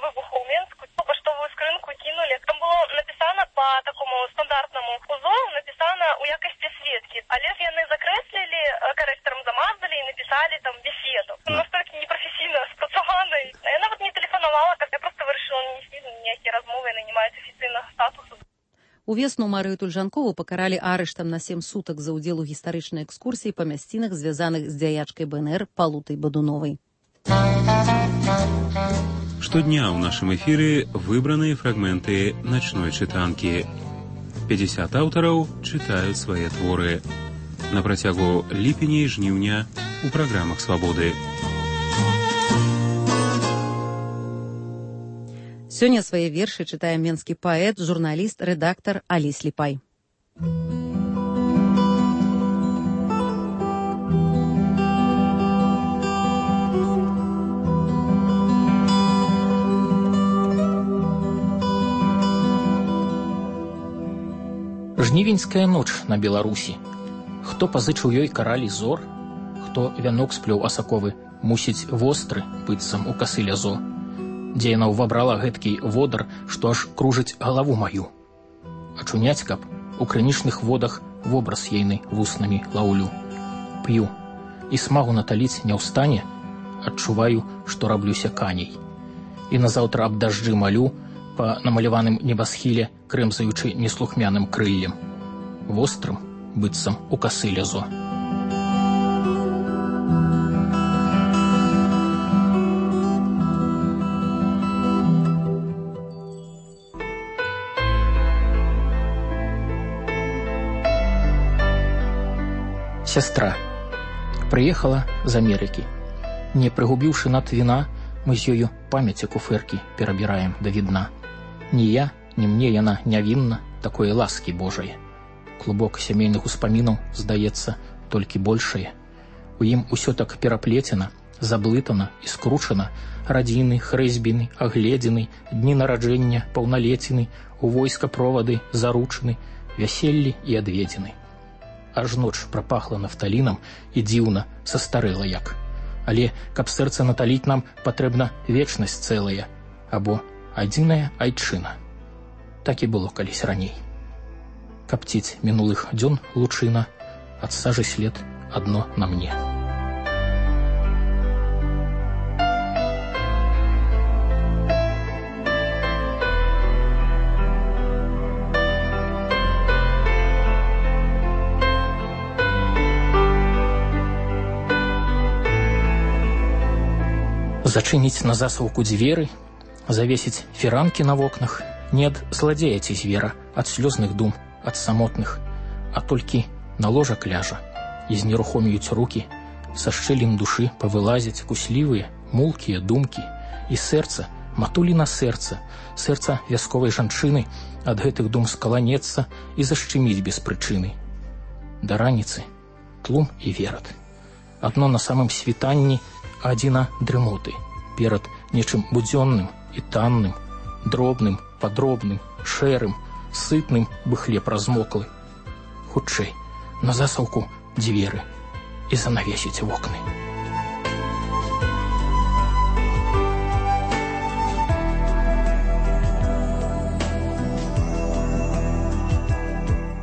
S23: выбуху ў Менску паштовую скрынку кінулі. Там было напісана по такому стандартнаму узору, напісана ў якасці сведкі. Але ж яны закрэслілі, карэкторам замазалі
S1: Увесну Марыю Тульжанкову пакаралі арыштам на 7 сутак за ўдзел у гістарычнай экскурсіі па мясцінах, звязаных з дзяячкай БНР Палутай Бадуновай.
S2: Штодня ў нашым эфіры выбраныя фрагменты начной чытанкі. 50 аўтараў чытаюць свае творы. На працягу ліпеня і жніўня у праграмах «Свабоды».
S1: Сёння свае вершы чытае менскі паэт, журналіст, рэдактар Алі Сліпай.
S4: Жнівеньская ноч на Беларусі. Хто пазычыў ёй каралі зор, хто вянок сплёў асаковы, мусіць востры, быццам у касы лязо. Дзе яна ўвабрала гэткі водар, што аж кружыць галаву маю. Ачуняць, каб у крынічных водах вобраз ейны вуснамі лаўлю. П'ю, і смагу наталіць не ўстане, адчуваю, што раблюся каней. І назаўтра аб дажджы малю, па намаляваным небасхіле, крэмзаючы неслухмяным крыллем. Вострым, быццам у касы лязо. Сястра. Прыехала з Амерыкі. Не прыгубіўшы над віна, мы з ёю памяці куфэркі перабіраем да відна. Ні я, ні мне яна нявінна, такое ласкі Божае. Клубок сямейных успамінаў, здаецца, толькі большае. У ім усё так пераплецена, заблытана і скручана. Радзіны, хрэзьбіны, агледзіны, дні нараджэння, паўналеціны, у войска провады, заручыны, вяселлі і адведзены. Аж ноч прапахла нафталінам і дзіўна, састарэла як. Але, каб сэрца наталіць нам, патрэбна вечнасць цэлая, або адзіная айчына. Так і было калісь раней. Капціць мінулых дзён лучына, ад сажы след адно на мне. Зачыніць на засаўку дзверы, завесіць фіранкі на вокнах, не ад зладзея ці звера, ад слёзных дум, ад самотных, а толькі на ложак ляжа, і знерухоміюць рукі, са шчэлін душы павылазяць куслівыя, мулкія думкі, і сэрца, матуліна сэрца, сэрца вясковай жанчыны ад гэтых дум скаланецца і зашчыміць без прычыны. Да раніцы тлум і верад. Адно на самым світанні, адзіна дрымоты, перад нечым будзённым і танным, дробным, падробным, шэрым, сытным бы хлеб размоклы. Хутчэй, на засаўку дзверы і занавесіць вокны.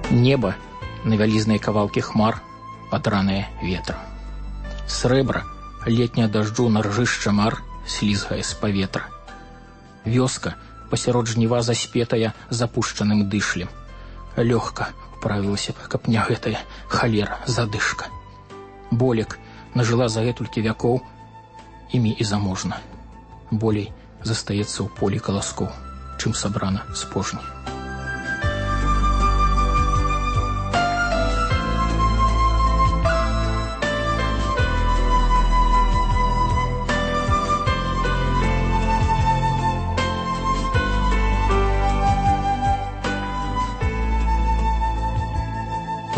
S4: Неба на вялізнай кавалкі хмар, падранае ветрам. Срэбра летняя дажджу на ржышча мар слізгае з паветра. Вёска пасярод жніва заспетая запушчаным дышлем. Лёгка управілася б, каб не гэтая халера задышка. Болек нажыла за гэтулькі вякоў, імі і заможна. Болей застаецца ў полі каласкоў, чым сабрана з пожні.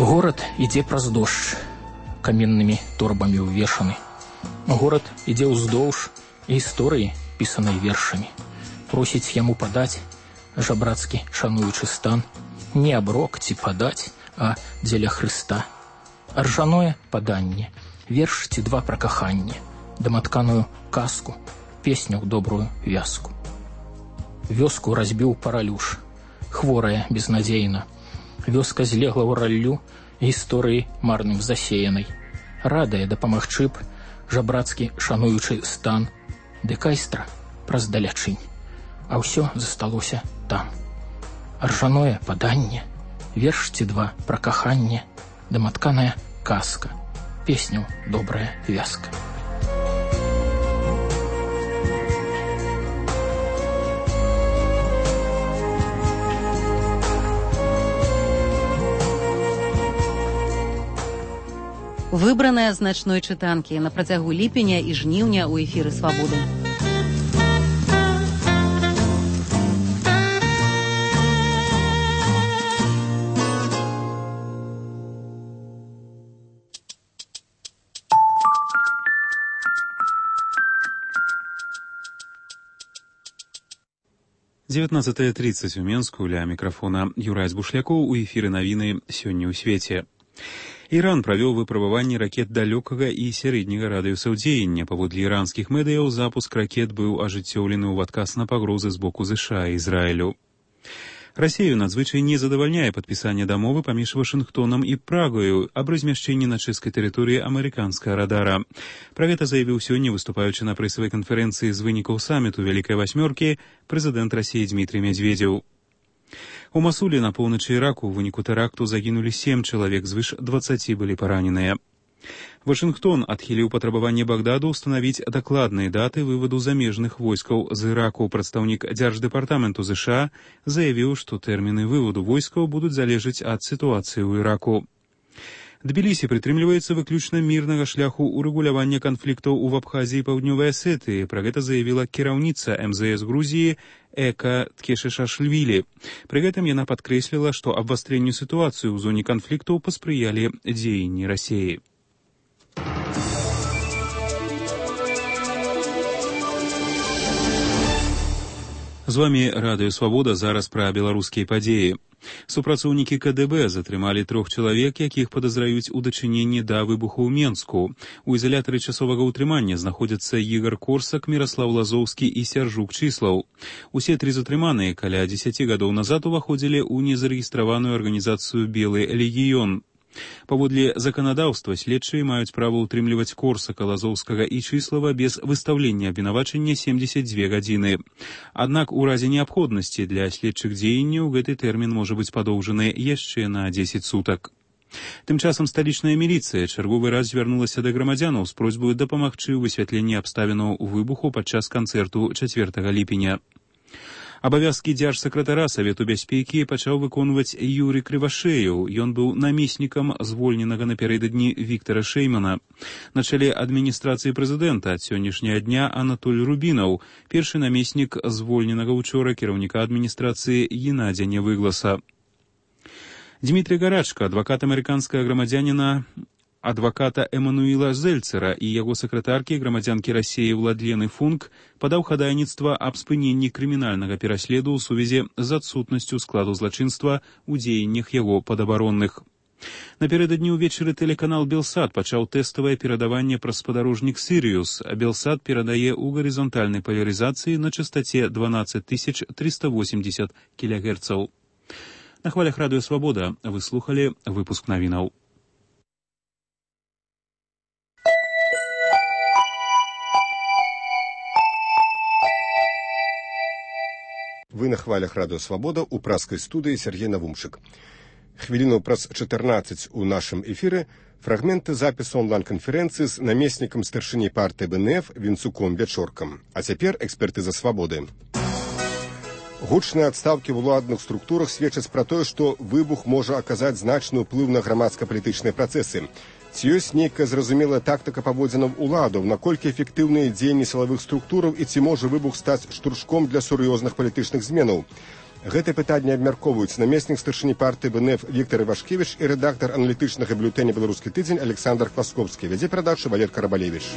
S4: Горад ідзе праз дождж, каменнымі торбамі ўвешаны. Горад ідзе ўздоўж гісторыі, пісанай вершамі. Просіць яму падаць, жабрацкі шануючы стан, не аброк ці падаць, а дзеля Хрыста. Аржаное паданне, верш ці два пра каханне, даматканую казку, песню ў добрую вязку. Вёску разбіў паралюш, хворая безнадзейна. Вёска злегла ў раллю, гісторыі марным засеянай. Радая дапамагчы б, жабрацкі шануючы стан, ды кайстра праз далячынь, а ўсё засталося там. ржаное паданне, верш ці два пра каханне, даматканая казка, песню добрая вязка.
S1: Выбраная з начной чытанкі на працягу ліпеня і жніўня ў эфіры «Свабоды».
S2: Девятнадцатая 30 у Менску, ля мікрафона Юрай Збушлякоў, у эфіры навіны «Сёння ў свеце». Іран правёў выпрабаванні ракет далёкага і сярэдняга радыуса дзеяння. Паводле іранскіх медыяў, запуск ракет быў ажыццёўлены ў адказ на пагрозы з боку ЗША і Ізраілю. Расею надзвычай не задавальняе падпісанне дамовы паміж Вашынгтонам і Прагаю аб размяшчэнні на чэшскай тэрыторыі амерыканскага радара. Пра гэта заявіў сёння, выступаючы на прэсавай канферэнцыі з вынікаў саміту Вялікай Васьмёркі, прэзідэнт Расіі Дмітрый Медведзеў. У Масуле на поўначы Іраку ў выніку тэракту загінулі 7 чалавек, звыш 20 былі параненыя. Вашынгтон адхіліў патрабаванне Багдаду ўстанавіць дакладныя даты вываду замежных войскаў з Іраку. Прадстаўнік Дзярждэпартаменту ЗША заявіў, што тэрміны вываду войскаў будуць залежаць ад сітуацыі ў Іраку. Тбілісі прытрымліваецца выключна мірнага шляху урэгулявання канфліктаў у Абхазіі і Паўднёвай Асетыі. Пра гэта заявіла кіраўніца МЗС Грузіі Эка Ткешишашвілі. Пры гэтым яна падкрэсліла, што абвастрэнню сітуацыі ў зоне канфліктаў паспрыялі дзеянні Расіі. З вамі Радыё Свабода, зараз пра беларускія падзеі. Супрацоўнікі КДБ затрымалі 3 чалавек, якіх падазраюць у дачыненні да выбуху ў Менску. У ізалятары часовага ўтрымання знаходзяцца Ігар Корсак, Міраслаў Лазоўскі і Сяржук Чыслаў. Усе 3 затрыманыя каля 10 гадоў назад уваходзілі ў незарэгістраваную арганізацыю «Белы легіён». Паводле заканадаўства следчыя маюць права ўтрымліваць Корсака, Лазоўскага і Чыслава без выстаўлення абвінавачання 72 гадзіны. Аднак у разе неабходнасці для следчых дзеянняў гэты тэрмін можа быць падоўжаны яшчэ на 10 сутак. Тым часам сталічная міліцыя чарговы раз звярнулася да грамадзянаў з просьбай дапамагчы ў высвятленні абставінаў выбуху падчас канцэрту 4 ліпеня. Абавязкі дзяржсакратара Савету бяспекі пачаў выконваць Юрый Крывашеяў. Ён быў намеснікам звольненага напярэдадні Віктара Шэймана. На чале адміністрацыі прэзідэнта ад сённяшняга дня Анатоль Рубінаў, першы намеснік звольненага учора кіраўніка адміністрацыі Геннадзя Нявыгласа. Дмітрий Гарачка, адвакат амерыканскага грамадзяніна адваката Эмануіла Зельцера і яго сакратаркі, грамадзянкі Расіі Владлены Функ, падаў хадайніцтва аб спыненні крымінальнага пераследу ў сувязі з адсутнасцю складу злачынства ў дзеяннях яго падабаронных. Наперададні ўвечары тэлеканал Белсат пачаў тэставае перадаванне праз спадарожнік Сірыус, а Белсат перадае ў гарызантальнай палярызацыі на частаце 12380 кГц. На хвалях Радыё Свабода вы слухалі выпуск навінаў.
S3: Вы на хвалях Радыё Свабода ў праскай студыі Сергей Навумчык. Хвіліну праз 14 у нашым эфіры фрагменты запісу онлайн-канферэнцыі з намеснікам старшыні партыі БНФ Вінцуком Вячоркам. А цяпер экспертыза Свабоды. Гучныя адстаўкі в уладных структурах сведчаць пра тое, што выбух можа аказаць значны ўплыў на грамадска-палітычныя працэсы. Ці ёсць нейкая зразумелая тактыка паводзінаў уладаў, наколькі эфектыўныя дзеянні сілавых структураў і ці можа выбух стаць штуршком для сур'ёзных палітычных зменаў? Гэтае пытанне абмяркоўваюць намеснік старшыні партыі БНФ Віктор Івашкевіч і рэдактар аналітычнага бюлетэня «Беларускі тыдзень» Александр Квасковскі. Вядзе перадачу Валер Карабалевіч.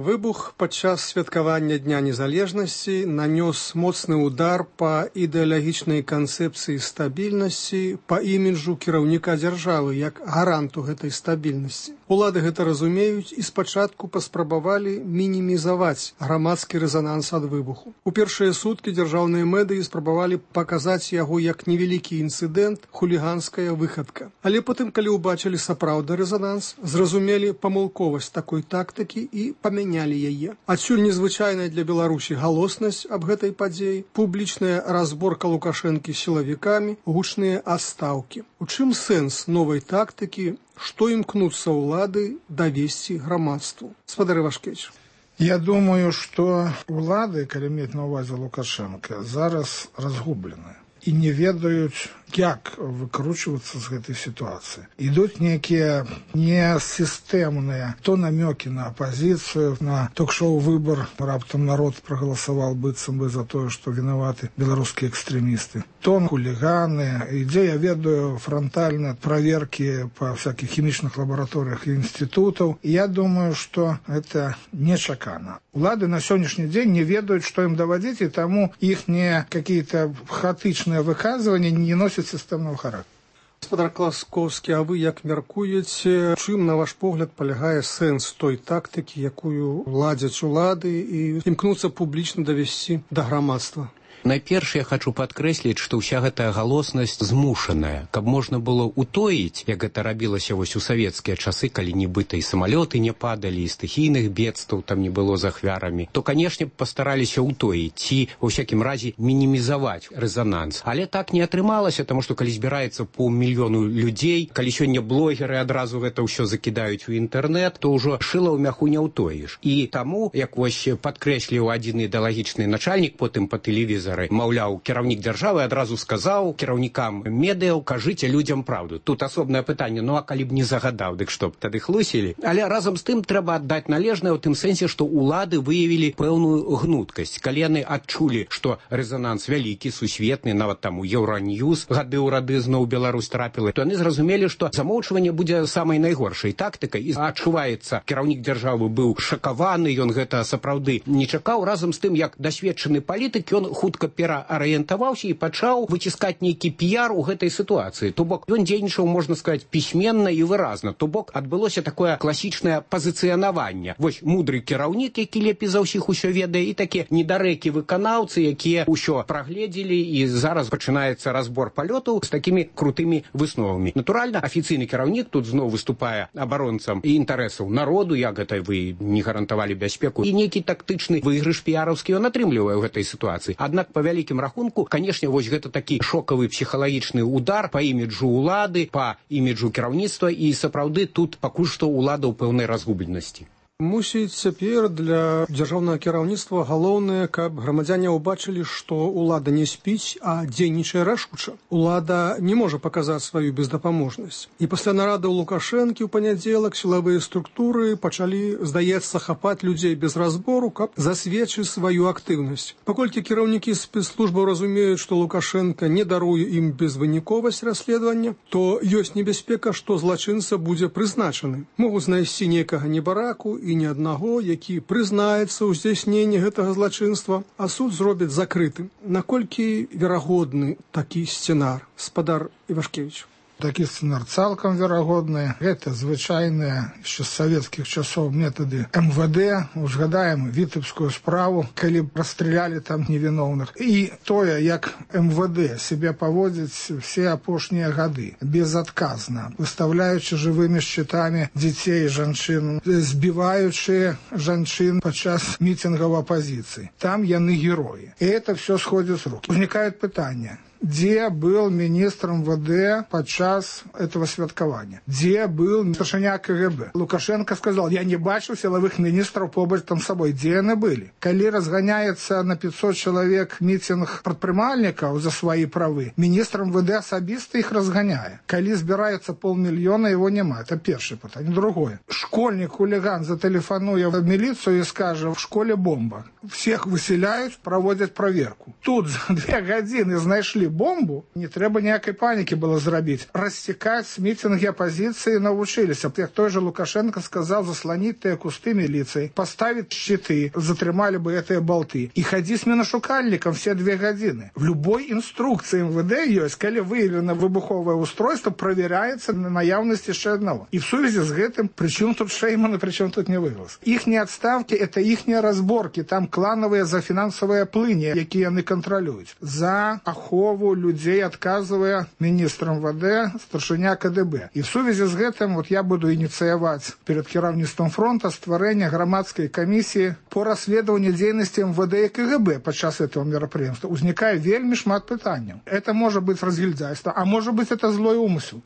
S5: Выбух падчас святкавання Дня незалежнасці нанёс моцны удар па ідэалагічнай канцэпцыі стабільнасці, па іміджу кіраўніка дзяржавы як гаранту гэтай стабільнасці. Улады гэта разумеюць і спачатку паспрабавалі мінімізаваць грамадскі рэзананс ад выбуху. У першыя суткі дзяржаўныя медыі спрабавалі паказаць яго як невялікі інцыдэнт, хуліганская выхадка. Але потым, калі ўбачылі сапраўдны рэзананс, зразумелі памылковасць такой тактыкі і памянялі яе. Адсюль незвычайная для Беларусі галоснасць аб гэтай падзеі, публічная разборка Лукашэнкі сілавікамі, гучныя астаўкі. У чым сэнс новай тактыкі, што імкнуцца ўлады давесці грамадству? Спадар Івашкевіч.
S6: Я думаю, што ўлады, калі мець на ўвазе Лукашенко, зараз разгублены і не ведаюць, як выкручвацца з гэтай сітуацыі. Ідуць нейкія несістэмныя то намёкі на апазіцыю, на ток-шоу «Выбор», раптам народ прагаласаваў быццам бы за тое, што вінаваты беларускія экстрэмісты. То хуліганы, ідзе, я ведаю, франтальна праверкі па всякіх хімічных лабараторыях і інстытутаў. І я думаю, што гэта нечакана. Улады на сённяшні дзень не ведаюць, што ім даводзіць, і таму іхнія какие-то хаотычныя выказванні не носяць сістэмного характера.
S5: Господар Класковскі, а вы як мяркуеце, чым, на ваш погляд, палягае сэнс той тактыкі, якую ладзяць улады і імкнуцца публічна давесці да грамадства?
S8: Найперш я хочу падкрэсліць, што ўся гэтая галоснасць змушаная, каб можна было утоіць, як гэта рабілася вось у савецкія часы, калі нібыта і самалёты не падалі, і стыхійных бедстваў там не было з ахвярамі, то, канешне, пастараліся утоіць ці, ва ўсякім разе, мінімізаваць рэзананс. Але так не атрымалася, таму што калі збіраецца паўмільёну людзей, калі сёння блогеры адразу гэта ўсё закідаюць у інтэрнэт, то ўжо шыла ў мяху не ўтоіш. І таму, як вось падкрэсліў адзін ідэалагічны начальнік потым па тэлевізору, маўляў, кіраўнік дзяржавы адразу сказаў кіраўнікам медыяў, кажыце людзям праўду. Тут асобнае пытанне, ну а калі б не загадаў, дык што б тады хлусілі? Але разам з тым трэба аддаць належнае ў тым сэнсе, што ўлады выявілі пэўную гнуткасць. Калі яны адчулі, што рэзананс вялікі, сусветны, нават там у Еўраньюз гады ў рады зноў Беларусь трапіла, то яны зразумелі, што замоўчванне будзе самай найгоршай тактыкай. І адчуваецца, кіраўнік дзяржавы быў шакаваны, ён гэта сапраўды не чакаў. Разам з тым, як дасведчаны палітык, ён хутка пераарыентаваўся і пачаў выціскаць нейкі піяр у гэтай сітуацыі. То бок ён дзейнічаў, можна сказаць, пісьменна і выразна. То бок адбылося такое класічнае пазіцыянаванне. Вось мудры кіраўнік, які лепей за ўсіх усё ведае, і такія недарэкі выканаўцы, якія ўсё прагледзелі, і зараз пачынаецца разбор палётаў з такімі крутымі высновамі. Натуральна, афіцыйны кіраўнік тут зноў выступае абаронцам і інтарэсаў народу, як гэта вы не гарантавалі бяспеку, і нейкі тактычны выйгрыш піяраўскі ён атрымлівае ў гэтай сітуацыі. Аднак па вялікім рахунку, канешне, вось гэта такі шокавы псіхалагічны удар па іміджу ўлады, па іміджу кіраўніцтва, і сапраўды тут пакуль што ўлада ў пэўнай разгубленасці.
S5: Мусіць, цяпер для дзяржаўнага кіраўніцтва галоўнае, каб грамадзяне ўбачылі, што ўлада не спіць, а дзейнічае рашуча. Улада не можа паказаць сваю бездапаможнасць. І пасля нарады ў Лукашэнкі ў панядзелак сілавыя структуры пачалі, здаецца, хапаць людзей без разбору, каб засведчыць сваю актыўнасць. Паколькі кіраўнікі спецслужбаў разумеюць, што Лукашенко не даруе ім безвыніковасць расследавання, то ёсць небяспека, што злачынца будзе прызначаны. Могуць знайсці нейкага небараку і ні аднаго, які прызнаецца ў здзяйсненні гэтага злачынства, а суд зробіць закрытым. Наколькі верагодны такі сцэнар, спадар Івашкевіч?
S6: Такі сцэнар цалкам верагодны. Гэта звычайныя яшчэ з савецкіх часоў метады МВД. Узгадаем віцебскую справу, калі расстралялі там невіноўных. І тое, як МВД себе паводзіць все апошнія гады, безадказна, выставляючы жывымі шчытамі дзяцей і жанчын, збіваючы жанчын падчас мітынгаў апазіцыі. Там яны героі. І это все сходит с рук. Возникает пытанне. Где был министр МВД подчас этого святкования? Где был старшыня КГБ? Лукашенко сказал, я не бачу силовых министров побач там с собой. Где они были? Коли разгоняется на 500 человек митинг предпринимальников за свои правы, министр МВД особисто их разгоняет. Коли собирается 500 000, его нема. Это первое питание. Другое. Школьник-хулиган зателефонует в милицию и скажет, в школе бомба. Всех выселяют, проводят проверку. Тут за 2 годины знайшли бомбу, не трэба ніякай панікі было зрабіць. Расцікаць мітинги апозіцыі навучыліся. Як той же Лукашенко сказал, заслонить тыя кусты милицией, поставить щиты, затрымали бы этыя болты. И ходи с миношукальником все 2 годины. В любой инструкции МВД есть, калі выявлено выбуховое устройство, проверяется на наявность еще одного. И в связи с этим, причем тут Шейман и причем тут не выглас. Ихние отставки – это ихние разборки, там клановые за финансовые плыни, якія яны контролюют. За ахову людей отказывая министр МВД, старшыня КДБ. И в связи с этим вот я буду инициировать перед кіраўніцтвом фронта стварэння громадской комиссии по расследованию деятельности МВД и КГБ подчас этого мероприятия. Узникае вельмі шмат пытанняў. Это может быть разгильдяйство, а может быть это злой умысел.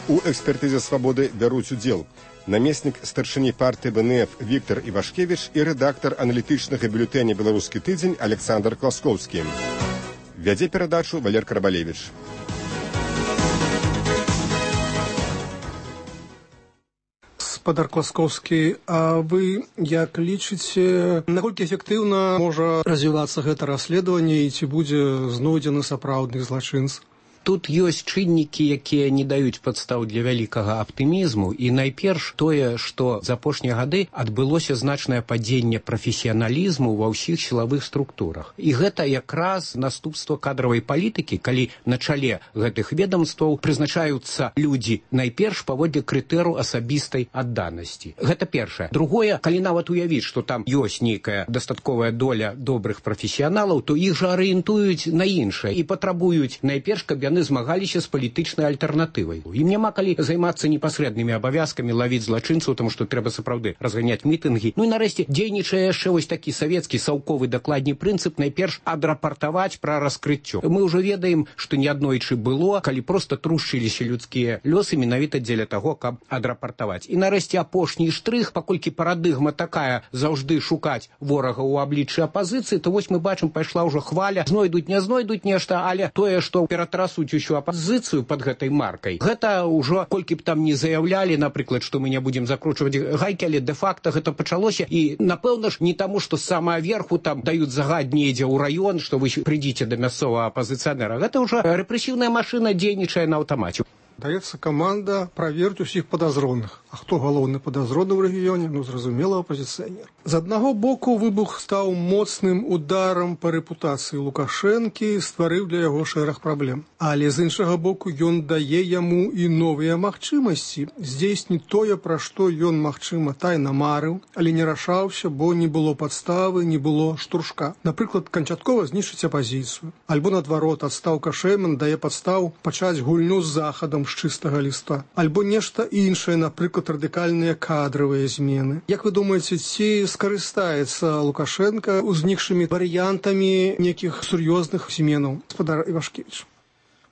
S3: У экспертызе «Свободы» бяруць удзел намеснік старшыні партыі БНФ Віктор Івашкевіч і рэдактар аналітычнага бюлетэня «Беларускі тыдзень» Александр Класкоўскі. Вядзе перадачу Валер Карабалевіч.
S5: Спадар Класкоўскі, а вы як лічыце, наколькі эфектыўна можа развівацца гэта расследаванне і ці будзе знойдзены сапраўдны злачынц?
S8: Тут ёсць чыннікі, якія не даюць падстаў для вялікага аптымізму, і найперш тое, што за апошнія гады адбылося значнае падзенне прафесіяналізму ва ўсіх сілавых структурах. І гэта якраз наступства кадравай палітыкі, калі на чале гэтых ведомстваў прызначаюцца людзі найперш паводле крытэру асабістай адданасці. Гэта першае. Другое, калі нават уявіць, што там ёсць нейкая дастатковая доля добрых прафесіяналаў, то іх жа арыентуюць на іншае і патрабуюць найперш, каб яны змагаліся з палітычнай альтэрнатывай. Ім няма калі займацца непасрэднымі абавязкамі, лавіць злачынцаў, таму што трэба сапраўды разганяць мітынгі. Ну і нарэшце дзейнічае яшчэ вось такі савецкі саўковы дакладні прынцып найперш адрапартаваць пра раскрыццё. Мы ўжо ведаем, што неаднойчы было, калі проста трушчыліся людскія лёсы менавіта дзеля таго, каб адрапартаваць. І нарэшце апошні штрых, паколькі парадыгма такая заўжды шукаць ворага ў абліччы апазіцыі, то вось мы бачым, пайшла ўжо хваля, знойдуць, не знойдуць нешта, але тое, што ператрасуць усю апозіцыю под гэтай маркай. Гэта ўжо, колькі б там не заявлялі, напрыклад, што мы не будзем закручваць гайкі, але дэ-факта гэта пачалося. І, напэўна ж, не таму, што самая верху там даюць загад недзе ў раён, што вы прыйдзіце да мясцовага апазіцыянера. Гэта ўжо рэпрэсіўная машына дзейнічае на аўтамаце.
S5: Даецца каманда праверыць усіх падазроных. А хто галоўны падазроны ў рэгіёне? Ну, зразумела, апазіцыянер. З аднаго боку, выбух стаў моцным ударам па рэпутацыі Лукашэнкі, стварыў для яго шэраг праблем. Але з іншага боку, ён дае яму і новыя магчымасці здзейсніць тое, пра што ён, магчыма, тайна марыў, але не рашаўся, бо не было падставы, не было штуршка. Напрыклад, канчаткова знішчыць апазіцыю. Альбо, наадварот, адстаўка Шейман дае падстаў пачаць гульню з захадам з чыстага ліста. Альбо нешта іншае, напрыклад, радыкальныя кадравыя змены. Як вы думаеце, ці скарыстаецца Лукашенко узнікшымі варыянтамі нейкіх сур'ёзных зменаў? Спадар Івашкевіч.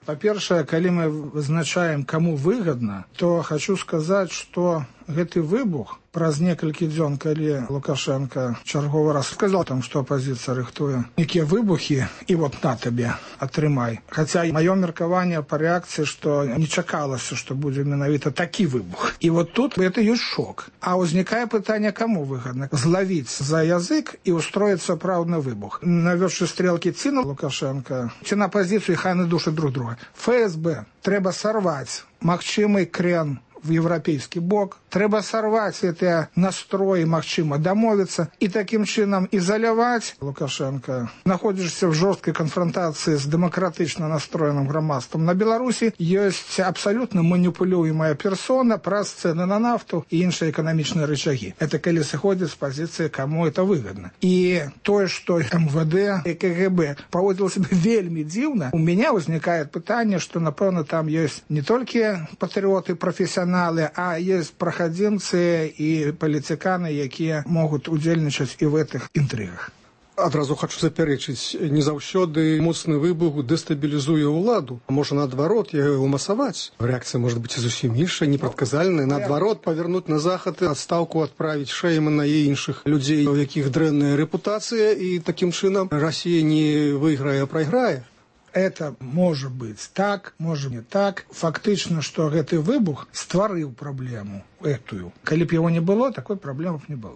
S6: Па-першае, калі мы вызначаем, каму выгадна, то хочу сказаць, што гэты выбух праз некалькі дзён, калі Лукашенко чарговы раз сказал там, што апозіцыя рыхтуе нейкія выбухі, і вот на табе, атрымай. Хаця маё меркаванне па рэакцыі, што не чакалася, што будзе менавіта такі выбух. І вот тут это ёсць шок. А ўзнікае пытанне, каму выгадна? Злавіць за язык і устроіць сапраўдны выбух. Навёўшы стрелкі ці на Лукашенко, ці на апозіцыю, хай яны душаць друг друга. ФСБ трэба сарваць магчымы крен в европейский бок. Трэба сорвать эти настрои, магчыма домовиться, и таким чином изолировать Лукашенко. Находишься в жесткой конфронтации с демократично настроенным громадством. На Беларуси есть абсолютно манипулируемая персона, праз цены на нафту и іншыя экономичные рычаги. Это коли сходит с позиции, кому это выгодно. И то, что МВД и КГБ поводило себя вельми дивно, у меня возникает питание, что, напевно, там есть не только патриоты, профессионалы, а есть проходимцы и политиканы, якія могут удзельнічаць и в этих интригах.
S5: Адразу хочу запярэчыць, не заўсёды моцны выбух дэстабілізуе ўладу. Можа, наадварот, яго ўмасаваць. Рэакцыя можа быць зусім іншая, непрадказальная. Наадварот, павярнуць на захад, адстаўку адправіць Шеймана і іншых людзей, у якіх дрэнная рэпутацыя, і такім чынам Расія не выйграе, а прайграе.
S6: Это может быть так, может не так. Фактично, что гэты выбух стварыў праблему этую. Калі б его не было, такой проблемы не было.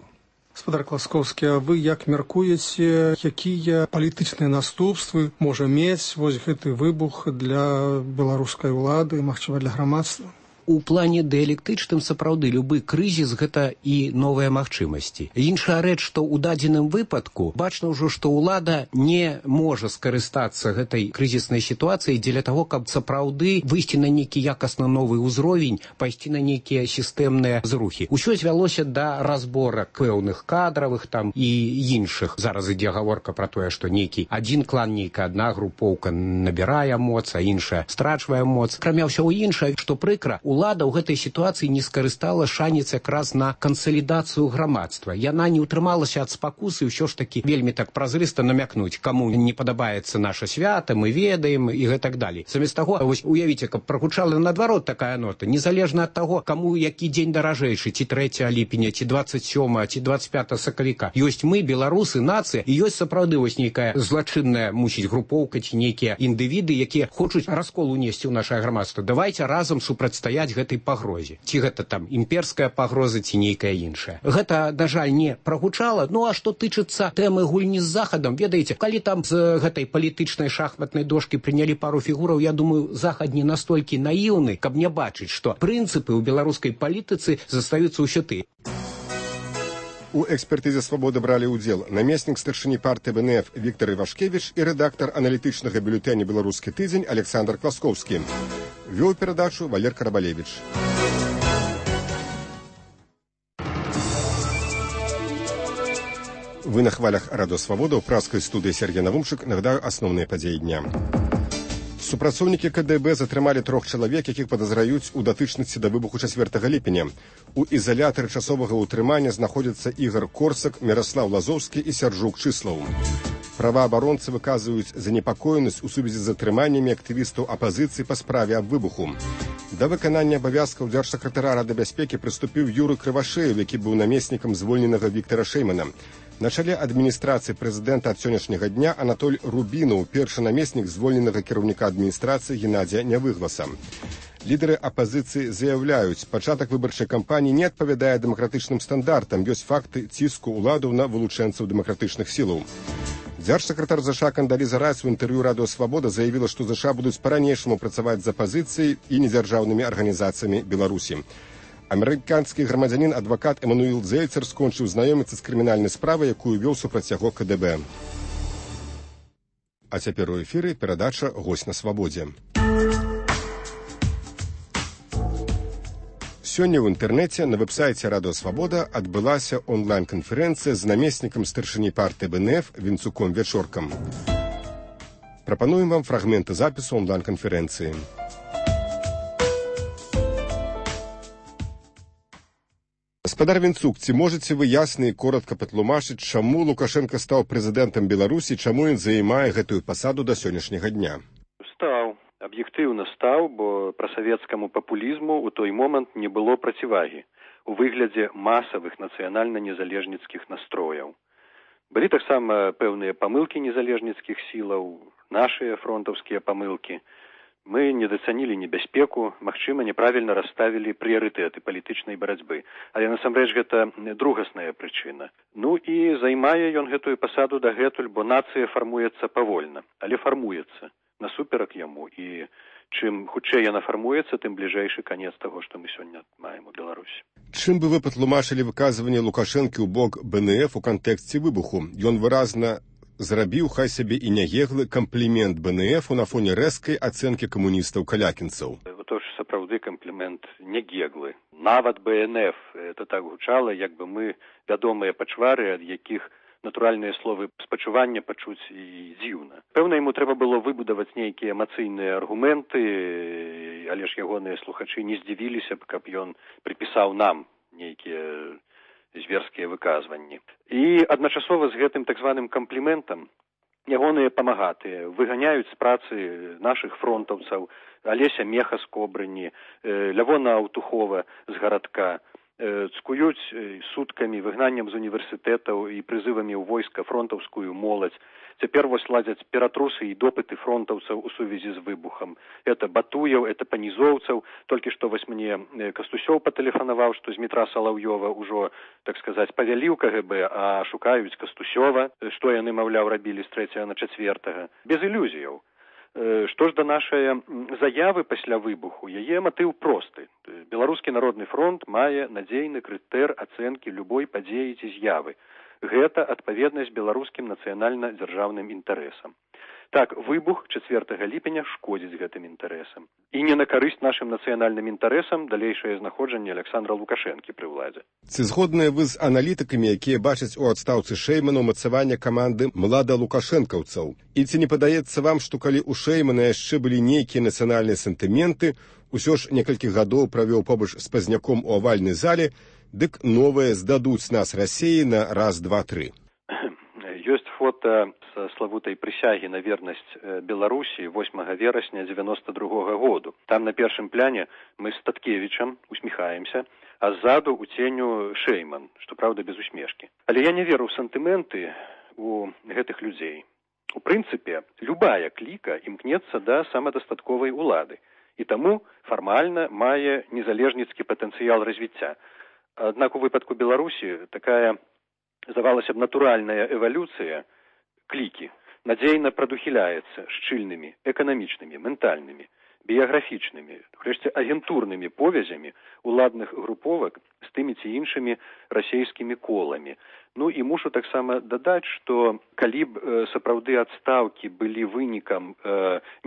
S5: Спадар Класкоўскі, а вы як мяркуеце, якія палітычныя наступствы можа мець вось гэты выбух для беларускай улады, магчыма, для грамадства?
S8: У плане дыялектычным сапраўды любы крызіс гэта і новыя магчымасці. Іншая рэч, што ў дадзеным выпадку бачна ўжо, што ўлада не можа скарыстацца гэтай крызіснай сітуацыяй дзеля таго, каб сапраўды выйсці на нейкі якасна новы ўзровень, пайсці на нейкія сістэмныя зрухі. Усё звялося да разборак пэўных кадравых там і іншых. Зараз ідзе гаворка пра тое, што нейкі адзін клан, нейкая адна групоўка набірае моц, а іншая страчвае моц. Акрамя ўсяго іншае, што прыкра, улада ў гэтай сітуацыі не скарыстала шанец якраз на кансалідацыю грамадства. Яна не ўтрымалася ад спакусы ўсё ж такі вельмі так празрыста намякнуць, каму не падабаецца наша свята, мы ведаем і гэтак далей. Замест таго, вось уявіце, каб прагучала наадварот такая нота, незалежна ад таго, каму які дзень даражэйшы, ці 3 ліпеня, ці 27, ці 25 сакавіка. Ёсць мы, беларусы, нацыя, і ёсць сапраўды вось нейкая злачынная, мусіць, групоўка ці нейкія індывіды, якія хочуць раскол унесці ў нашае грамадства. Давайце разам супрацьстаяць гэтай пагрозе. Ці гэта там імперская пагроза, ці нейкая іншая. Гэта, на жаль, не прагучала. Ну а што тычыцца тэмы гульні з Захадам, ведаеце, калі там з гэтай палітычнай шахматнай дошкі прынялі пару фігураў, я думаю, Захад не настолькі наіўны, каб не бачыць, што прынцыпы ў беларускай палітыцы застаюцца ўсё тыя.
S3: У экспертызе «Свабода» бралі ўдзел намеснік старшыні партыі БНФ Віктор Івашкевіч і рэдактар аналітычнага бюлетэня «Беларускі тыдзень» Александр Класкоўскі. Вёў перадачу Валер Карабалевич. Вы на хвалях Радио Свобода, ў праскай студыі Сергей Навумчык. Нагадаю асноўныя падзеі дня. Супрацоўнікі КДБ затрымалі 3 чалавек, якіх падазраюць у датычнасці да выбуху 4 ліпеня. У ізалятары часовага ўтрымання знаходзяцца Ігор Корсак, Міраслаў Лазоўскі і Сяржук Чыслаў. Праваабаронцы выказваюць занепакоенасць у сувязі з затрыманнямі актывістаў апазіцыі па справе аб выбуху. Да выканання абавязкаў дзяржсакратара Рады бяспекі прыступіў Юры Крывашеев, які быў намеснікам звольненага Віктара Шэймана. На чале адміністрацыі прэзідэнта ад сённяшняга дня Анатоль Рубінаў, першы намеснік звольненага кіраўніка адміністрацыі Геннадзя Нявыгласа. Лідары апазіцыі заяўляюць, пачатак выбарчай кампаніі не адпавядае дэмакратычным стандартам, ёсць факты ціску ўладаў на вылучэнцаў дэмакратычных сілаў. Дзяржсакратар ЗША Кандаліза Райс у інтэрв'ю Радыё Свабода заявіла, што ЗША будуць па-ранейшаму працаваць з апазіцыяй і недзяржаўнымі арганізацыямі Беларусі. Амерыканскі грамадзянін адвакат Эмануіл Зельцер скончыў знаёміцца з крымінальнай справай, якую вёў супраць яго КДБ. А цяпер у эфіры перадача «Госць на свабодзе». Сёння ў інтэрнэце на вэб-сайце Радыё Свабода адбылася онлайн-канферэнцыя з намеснікам старшыні партыі БНФ Вінцуком Вячоркам. Прапануем вам фрагменты запісу онлайн-канферэнцыі. Гаспадар Вінцук, ці можаце вы ясна і коротка патлумачыць, чаму Лукашенко стаў прэзідэнтам Беларусі, чаму ён займае гэтую пасаду да сённяшняга дня?
S7: Стаў, аб'ектыўна стаў, бо прасавецкаму папулізму ў той момант не было процівагі у выглядзе масавых нацыянальна-незалежніцкіх настрояў. Былі таксама пэўныя памылкі незалежніцкіх сілаў, нашыя фронтаўскія памылкі. Мы недацанілі небяспеку, магчыма, няправільна расставілі прыярытэты палітычнай барацьбы. Але насамрэч гэта другасная прычына. Ну і займае ён гэтую пасаду дагэтуль, бо нацыя фармуецца павольна, але фармуецца насуперак яму. І чым хутчэй яна фармуецца, тым бліжэйшы канец таго, што мы сёння маем у Беларусі.
S3: Чым бы вы патлумачылі выказванне Лукашэнкі ў бок БНФ у кантэксце выбуху? Ён выразна зрабіў, хай сябе і няеглы, камплімент БНФ на фоне рэзкай ацэнкі камуністаў-калякінцаў.
S7: То ж сапраўды камплімент нягеглы. Нават БНФ, это так гучала, як бы мы вядомыя пачвары, ад якіх натуральныя словы спачування пачуць і дзіўна. Пэўна, яму трэба было выбудаваць нейкія эмацыйныя аргументы, але ж ягоныя слухачы не здзівіліся б, каб ён прыпісаў нам нейкія зверскія выказванні. І адначасова з гэтым так званым кампліментам ягоныя памагатыя выганяюць з працы нашых фронтаўцаў, Алеся Меха з Кобрыні, Лявона Аўтухова з гарадка, цкуюць суткамі, выгнаннем з універсітэтаў і прызывамі ў войска фронтаўскую моладзь. Цяпер вось ладзяць ператрусы і допыты фронтаўцаў у сувязі з выбухам. Это Батуяў, это Панізоўцаў. Толькі што вось мне Кастусёў патэлефанаваў, што з метра Салаўёва ўжо, так сказаць, павялі ў КГБ, а шукаюць Кастусёва, што яны, маўляў, рабілі з 3 на 4. Без ілюзіяў. Што ж да нашай заявы пасля выбуху, яе матыў просты. Беларускі народны фронт мае надзейны крытэр ацэнкі любой падзеі ці з'явы. Гэта адпаведнасць беларускім нацыянальна-дзяржаўным інтарэсам. Так, выбух 4 ліпеня шкодзіць гэтым інтарэсам. І не на карысць нашым нацыянальным інтарэсам далейшае знаходжанне Александра Лукашэнкі пры ўладзе.
S3: Ці згодныя вы з аналітыкамі, якія бачаць у адстаўцы Шэймана ўмацаванне каманды младалукашэнкаўцаў? І ці не падаецца вам, што калі ў Шэймана яшчэ былі нейкія нацыянальныя сентыменты, усё ж некалькі гадоў правёў побач з Пазняком у авальнай зале, дык новыя здадуць нас Расіі на раз, два, тры.
S7: Ёсць фота са славутай прысягі на вернасць Беларусі 8 верасня 92 году. Там на першым пляне мы з Таткевічам усміхаемся, а ззаду у ценю Шэйман, што праўда без усмешкі. Але я не веру ў сантыменты у гэтых людзей. У прынцыпе, любая кліка імкнецца да самадастатковай улады, і таму фармальна мае незалежніцкі патэнцыял развіцця. Аднак у выпадку Беларусі такая, здавалася б, натуральная эвалюцыя клікі надзейна прадухіляецца шчыльнымі эканамічнымі, ментальнымі, біяграфічнымі, урэшце агентурнымі повязямі уладных груповак з тымі ці іншымі расейскімі коламі. Ну і мушу таксама дадаць, што калі б сапраўды адстаўкі былі вынікам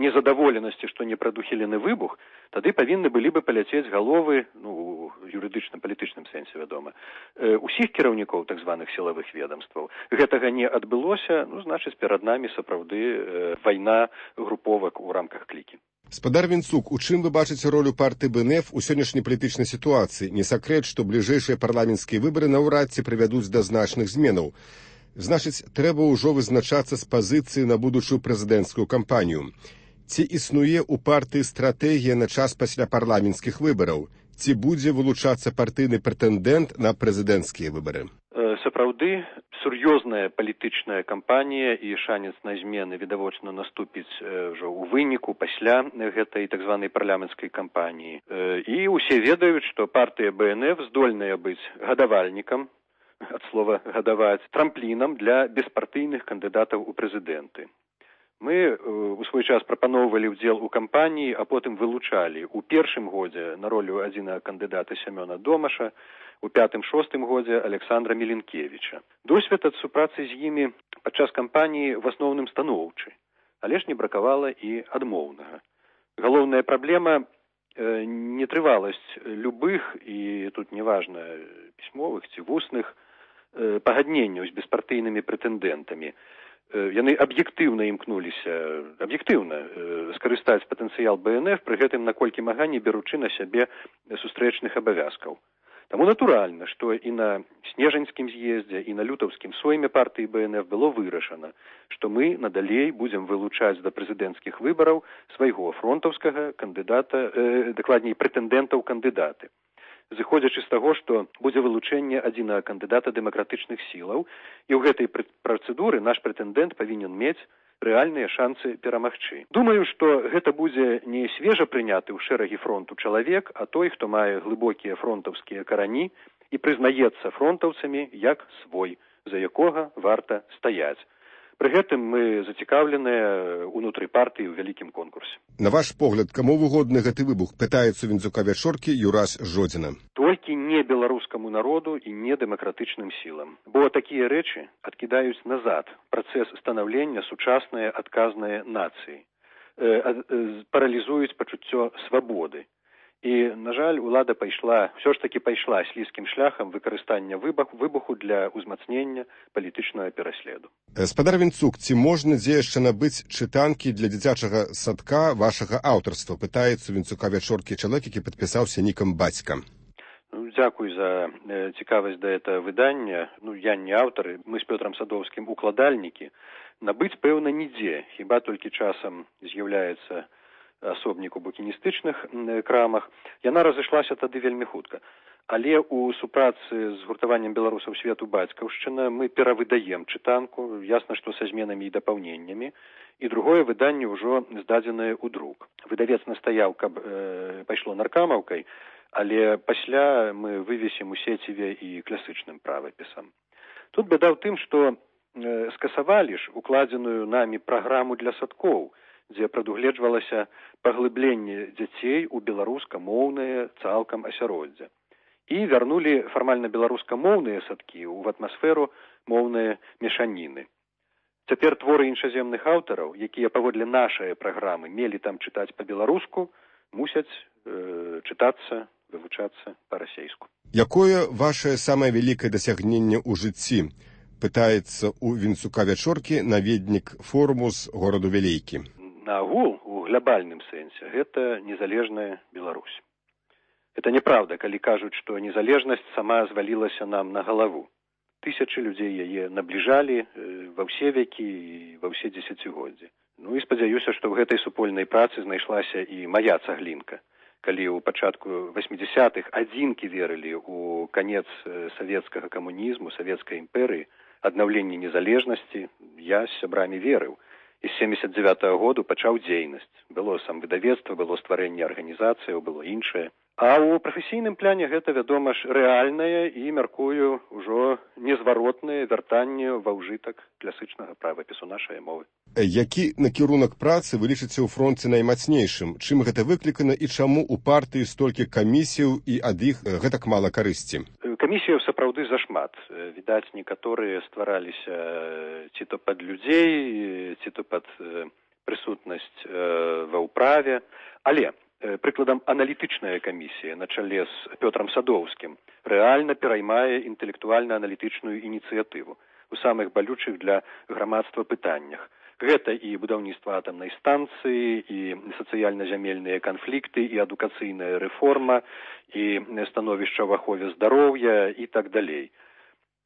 S7: незадаволенасці, што не прадухілены выбух, тады павінны былі бы паляцець галовы, ну, юрыдычна-палітычным сэнсе, вядома, усіх кіраўнікоў так званых сілавых ведомстваў. Гэтага не адбылося, ну, значыць, перад намі сапраўды вайна груповак у рамках клікі.
S3: Спадар Вінцук, у чым вы бачыце ролю партыі БНФ у сённяшняй палітычнай сітуацыі? Не сакрэт, што бліжэйшыя парламенцкія выбары наўрад ці прывядуць да значных зменаў. Значыць, трэба ўжо вызначацца з пазіцыі на будучую прэзідэнцкую кампанію. Ці існуе ў партыі стратэгія на час пасля парламенцкіх выбараў? Ці будзе вылучацца партыйны прэтэндэнт на прэзідэнцкія выбары?
S7: Сапраўды, сур'ёзная палітычная кампанія і шанец на змены відавочна наступіць ўжо ў выніку пасля гэтай так званай парламенцкай кампаніі. І ўсе ведаюць, што партыя БНФ здольная быць гадавальнікам, ад слова гадаваць, трамплінам для беспартыйных кандыдатаў у прэзідэнты. Мы у свой час прапаноўвалі ўдзел у кампаніі, а потым вылучалі у першым годзе на ролю адзінага кандыдата Сямёна Домаша, у 5-6 годзе Александра Міленкевіча. Досвед ад супрацы з імі падчас кампаніі в асноўным станоўчы, але ж не бракавала і адмоўнага. Галоўная праблема нетрываласць любых, і тут неважна пісьмовых ці вусных, пагадненняў з беспартыйнымі прэтэндэнтамі. Яны аб'ектыўна імкнуліся, скарыстаць патэнцыял БНФ, пры гэтым наколькі мага не беручы на сябе сустрэчных абавязкаў. Таму натуральна, што і на снежаньскім з'ездзе, і на лютаўскім сойме партыі БНФ было вырашана, што мы надалей будзем вылучаць да прэзідэнцкіх выбараў свайго фронтаўскага кандыдата, дакладней прэтэндэнтаў-кандыдаты. Зыходзячы з таго, што будзе вылучэнне адзінага кандыдата дэмакратычных сілаў, і ў гэтай працэдуры наш прэтэндэнт павінен мець рэальныя шанцы перамагчы. Думаю, што гэта будзе не свежа прыняты ў шэрагі фронту чалавек, а той, хто мае глыбокія фронтаўскія карані і прызнаецца фронтаўцамі як свой, за якога варта стаяць. Пры гэтым мы зацікаўленыя ўнутры партыі ў вялікім конкурсе.
S3: На ваш погляд, каму выгодны гэты выбух, пытаецца Вінцука Вячоркі Юрась Жодзіна.
S7: Толькі не беларускаму народу і не дэмакратычным сілам. Бо такія рэчы адкідаюць назад працэс станаўлення сучаснай адказнай нацыі, паралізуюць пачуццё свабоды. І, на жаль, улада ўсё ж такі пайшла слізкім шляхам выкарыстання выбуху для ўзмацнення палітычнага пераследу.
S3: Спадар Вінцук, ці можна дзе яшчэ набыць чытанкі для дзіцячага садка вашага аўтарства? Пытаецца Вінцука Вячоркі чалавек, які падпісаўся нікам бацька.
S7: Дзякуй за цікавасць да этого выдання. Я не аўтар, мы з Пётрам Садоўскім укладальнікі. Набыць, пэўна, нідзе, хіба толькі часам з'яўляецца асобнік у букіністычных крамах. Яна разышлася тады вельмі хутка. Але ў супрацы з гуртаваннем беларусаў свету бацькаўшчына мы перавыдаем чытанку, ясна, што са зменамі і дапаўненнямі, і другое выданне ўжо здадзенае ў друк. Выдавец настаяў, каб пайшло наркамаўкай, але пасля мы вывесім у сеціве і класычным правапісам. Тут бяда ў тым, што скасавалі ж укладзеную намі праграму для садкоў, дзе прадугледжвалася паглыбленне дзяцей у беларускамоўнае цалкам асяроддзе. І вярнулі фармальна беларускамоўныя садкі ў атмасферу моўныя мешаніны. Цяпер творы іншаземных аўтараў, якія паводле нашай праграмы мелі там чытаць па-беларуску, мусяць чытацца, вывучацца па-расейску.
S3: Якое вашае самае вялікае дасягненне ў жыцці? Пытаецца у Вінцука Вячоркі наведнік форуму з гораду Вялейкі.
S7: Наагул, у глобальным сэнсе, гэта незалежная Беларусь. Это неправда, калі кажуць, што незалежнасць сама звалілася нам на галаву. Тысячы людзей яе набліжалі ва ўсе векі і ва ўсе дзесяцігоддзі. Ну і спадзяюся, што ў гэтай супольнай працы знайшлася і мая цаглінка. Калі ў пачатку 80-х адзінкі верылі ў канец савецкага камунізму, савецкай імперыі, аднаўленне незалежнасці, я з сябрамі верыў. І з 79-го году пачаў дзейнасць. Было самвыдавецтва, было стварэнне арганізацыяў, было іншае. А ў прафесійным пляне гэта, вядома ж, рэальнае і, мяркую, ужо незваротнае вяртанне ва ўжытак класычнага правапісу нашай мовы.
S3: Які накірунак працы вы лічыце ў фронце наймацнейшым? Чым гэта выклікана і чаму ў партыі столькі камісіяў і ад іх гэтак мала карысці?
S7: Камісіяў сапраўды зашмат. Відаць, некаторыя ствараліся ці то пад людзей, ці то пад прысутнасць ва ўправе. Але прыкладам, аналітычная камісія на чале з Пётрам Садоўскім рэальна пераймае інтэлектуальна-аналітычную ініцыятыву у самых балючых для грамадства пытаннях. Гэта і будаўніцтва атамнай станцыі, і сацыяльна-зямельныя канфлікты, і адукацыйная рэформа, і становішча ў ахове здароўя і так далей.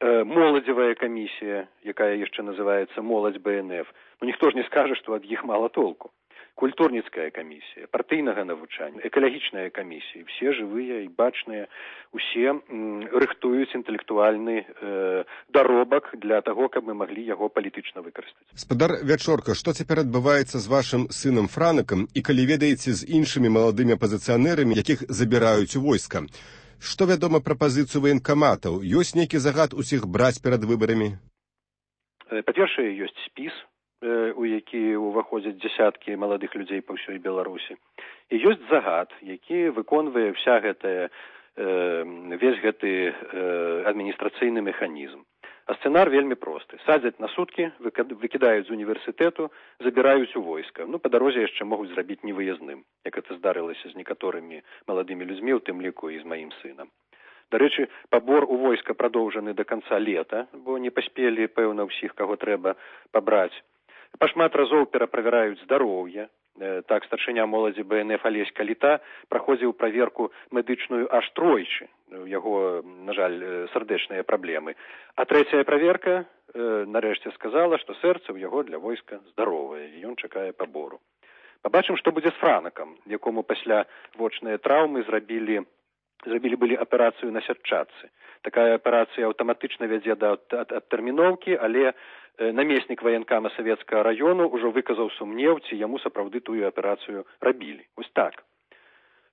S7: Моладзевая камісія, якая яшчэ называецца «Моладзь БНФ», ну ніхто ж не скажа, што ад іх мала толку. Культурніцкая камісія, партыйнага навучання, экалагічная камісія, все жывыя і бачныя, усе рыхтуюць інтэлектуальны даробак для таго, каб мы маглі яго палітычна выкарыстаць.
S3: Спадар Вячорка, што цяпер адбываецца з вашым сынам Франакам і калі ведаеце з іншымі маладымі апазіцыянерамі, якіх забіраюць у войска? Што вядома пра пазіцыю ваенкаматаў? Ёсць нейкі загад усіх браць перад выбарамі?
S7: Па-першае, ёсць спіс, у які ўваходзяць дзясяткі маладых людзей па ўсёй Беларусі. І ёсць загад, які выконвае весь гэты адміністрацыйны механізм. А сцэнар вельмі просты. Садзяць на суткі, выкідаюць з універсітэту, забіраюць у войска. Ну, па дарозе яшчэ могуць зрабіць невыязным, як гэта здарылася з некаторымі маладымі людзьмі, у тым ліку і з маім сынам. Дарэчы, пабор у войска прадоўжаны да канца лета, бо не паспелі, пэўна, ўсіх, каго трэба пабраць. Пашмат разоў пераправяраюць здароўе. Так, старшыня моладзі БНФ Алесь Каліта праходзіў праверку медычную аж тройчы. У яго, на жаль, сардэчныя праблемы. А трэцяя праверка нарэшце сказала, што сэрца ў яго для войска здаровае, і ён чакае пабору. Пабачым, што будзе з Франакам, якому пасля вочныя траўмы зрабілі былі аперацыю на сятчатцы. Такая аперацыя аўтаматычна вядзе да адтэрміноўкі, але намеснік ваенкама савецкага раёну ўжо выказаў сумнеў, ці яму сапраўды тую аперацыю рабілі. Вось так.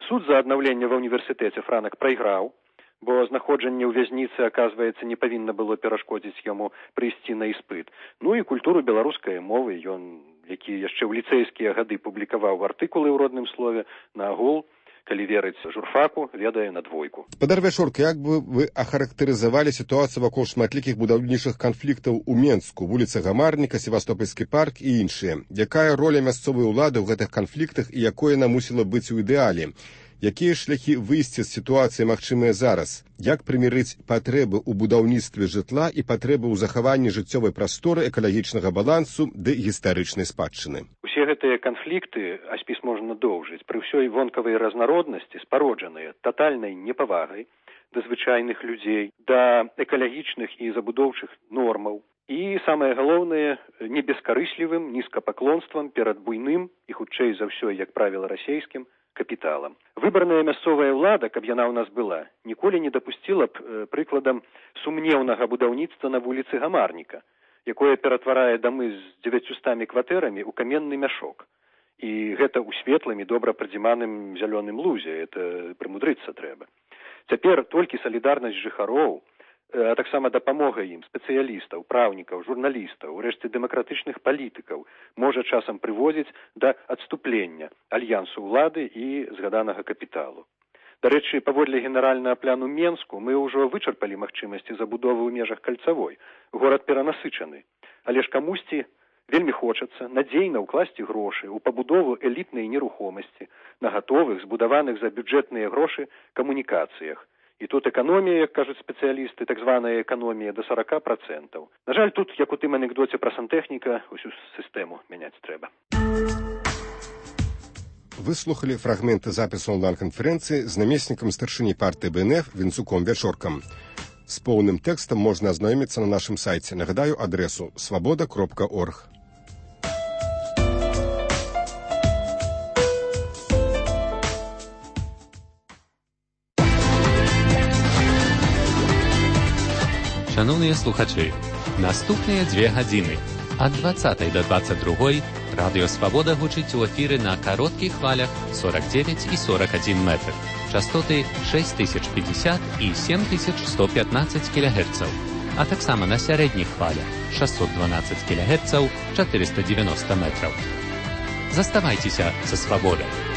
S7: Суд за аднаўленне ва ўніверсітэце Франак прайграў, бо знаходжанне ў вязніцы, аказваецца, не павінна было перашкодзіць яму прыйсці на іспыт. Ну і культуру беларускай мовы ён, які яшчэ ў ліцэйскія гады публікаваў артыкулы ў родным слове, наагул, калі верыць журфаку, ведае на двойку.
S3: Спадар Вячорка, як бы вы ахарактарызавалі сітуацыю вакол шматлікіх будаўнічых канфліктаў у Менску, вуліца Гамарніка, Севастопольскі парк і іншыя? Якая роля мясцовай улады ў гэтых канфліктах і якое яна мусіла быць у ідэале? Якія шляхі выйсця з сітуацыі магчымыя зараз? Як прымірыць патрэбы ў будаўніцтве жытла і патрэбы ў захаванні жыццёвай прасторы, экалагічнага балансу ды гістарычнай спадчыны?
S7: Усе гэтыя канфлікты, а спіс можна доўжыць, пры ўсёй вонкавай разнароднасці, спароджаныя татальнай непавагай да звычайных людзей, да экалагічных і забудоўчых нормаў. І самае галоўнае, не бескарыслівым нізкапаклонствам перад буйным і хутчэй за ўсё, як правіла, расейскім капіталам. Выбарная мясцовая ўлада, каб яна ў нас была, ніколі не дапусціла б прыкладам сумнеўнага будаўніцтва на вуліцы Гамарніка, якое ператварае дамы з 900 кватэрамі ў каменны мяшок. І гэта ў светлым і добра прадзіманым зялёным лузе, это прымудрыцца трэба. Цяпер толькі салідарнасць жыхароў, а таксама дапамога ім спецыялістаў, праўнікаў, журналістаў, урэшце дэмакратычных палітыкаў можа часам прыводзіць да адступлення альянсу ўлады і згаданага капіталу. Дарэчы, паводле генеральнага пляну Менску мы ўжо вычарпалі магчымасці забудовы ў межах кальцавой. Горад перанасычаны, але ж камусьці вельмі хочацца надзейна ўкласці грошы ў пабудову элітнай нерухомасці на гатовых, збудаваных за бюджэтныя грошы камунікацыях. І тут эканомія, як кажуць спецыялісты, так званая эканомія до 40%. На жаль, тут, як у тым анекдоце пра сантэхніка, усю сістэму мяняць трэба.
S3: Выслухалі фрагменты запісу онлайн-канферэнцыі з намеснікам старшыні партыі БНФ Вінцуком Вячоркам. З поўным тэкстам можна азнаёміцца на нашым сайце. Нагадаю адресу свабода.орг.
S9: Шановні слухачі, наступні 2 години. Ад 20 до 22 Радіо Свобода гучить у ефірі на коротких хвалях 49 і 41 метр. Частоти 6050 і 7115 кГц. А так само на середніх хвалях 612 кГц 490 метрів. Заставайтеся со Свободою.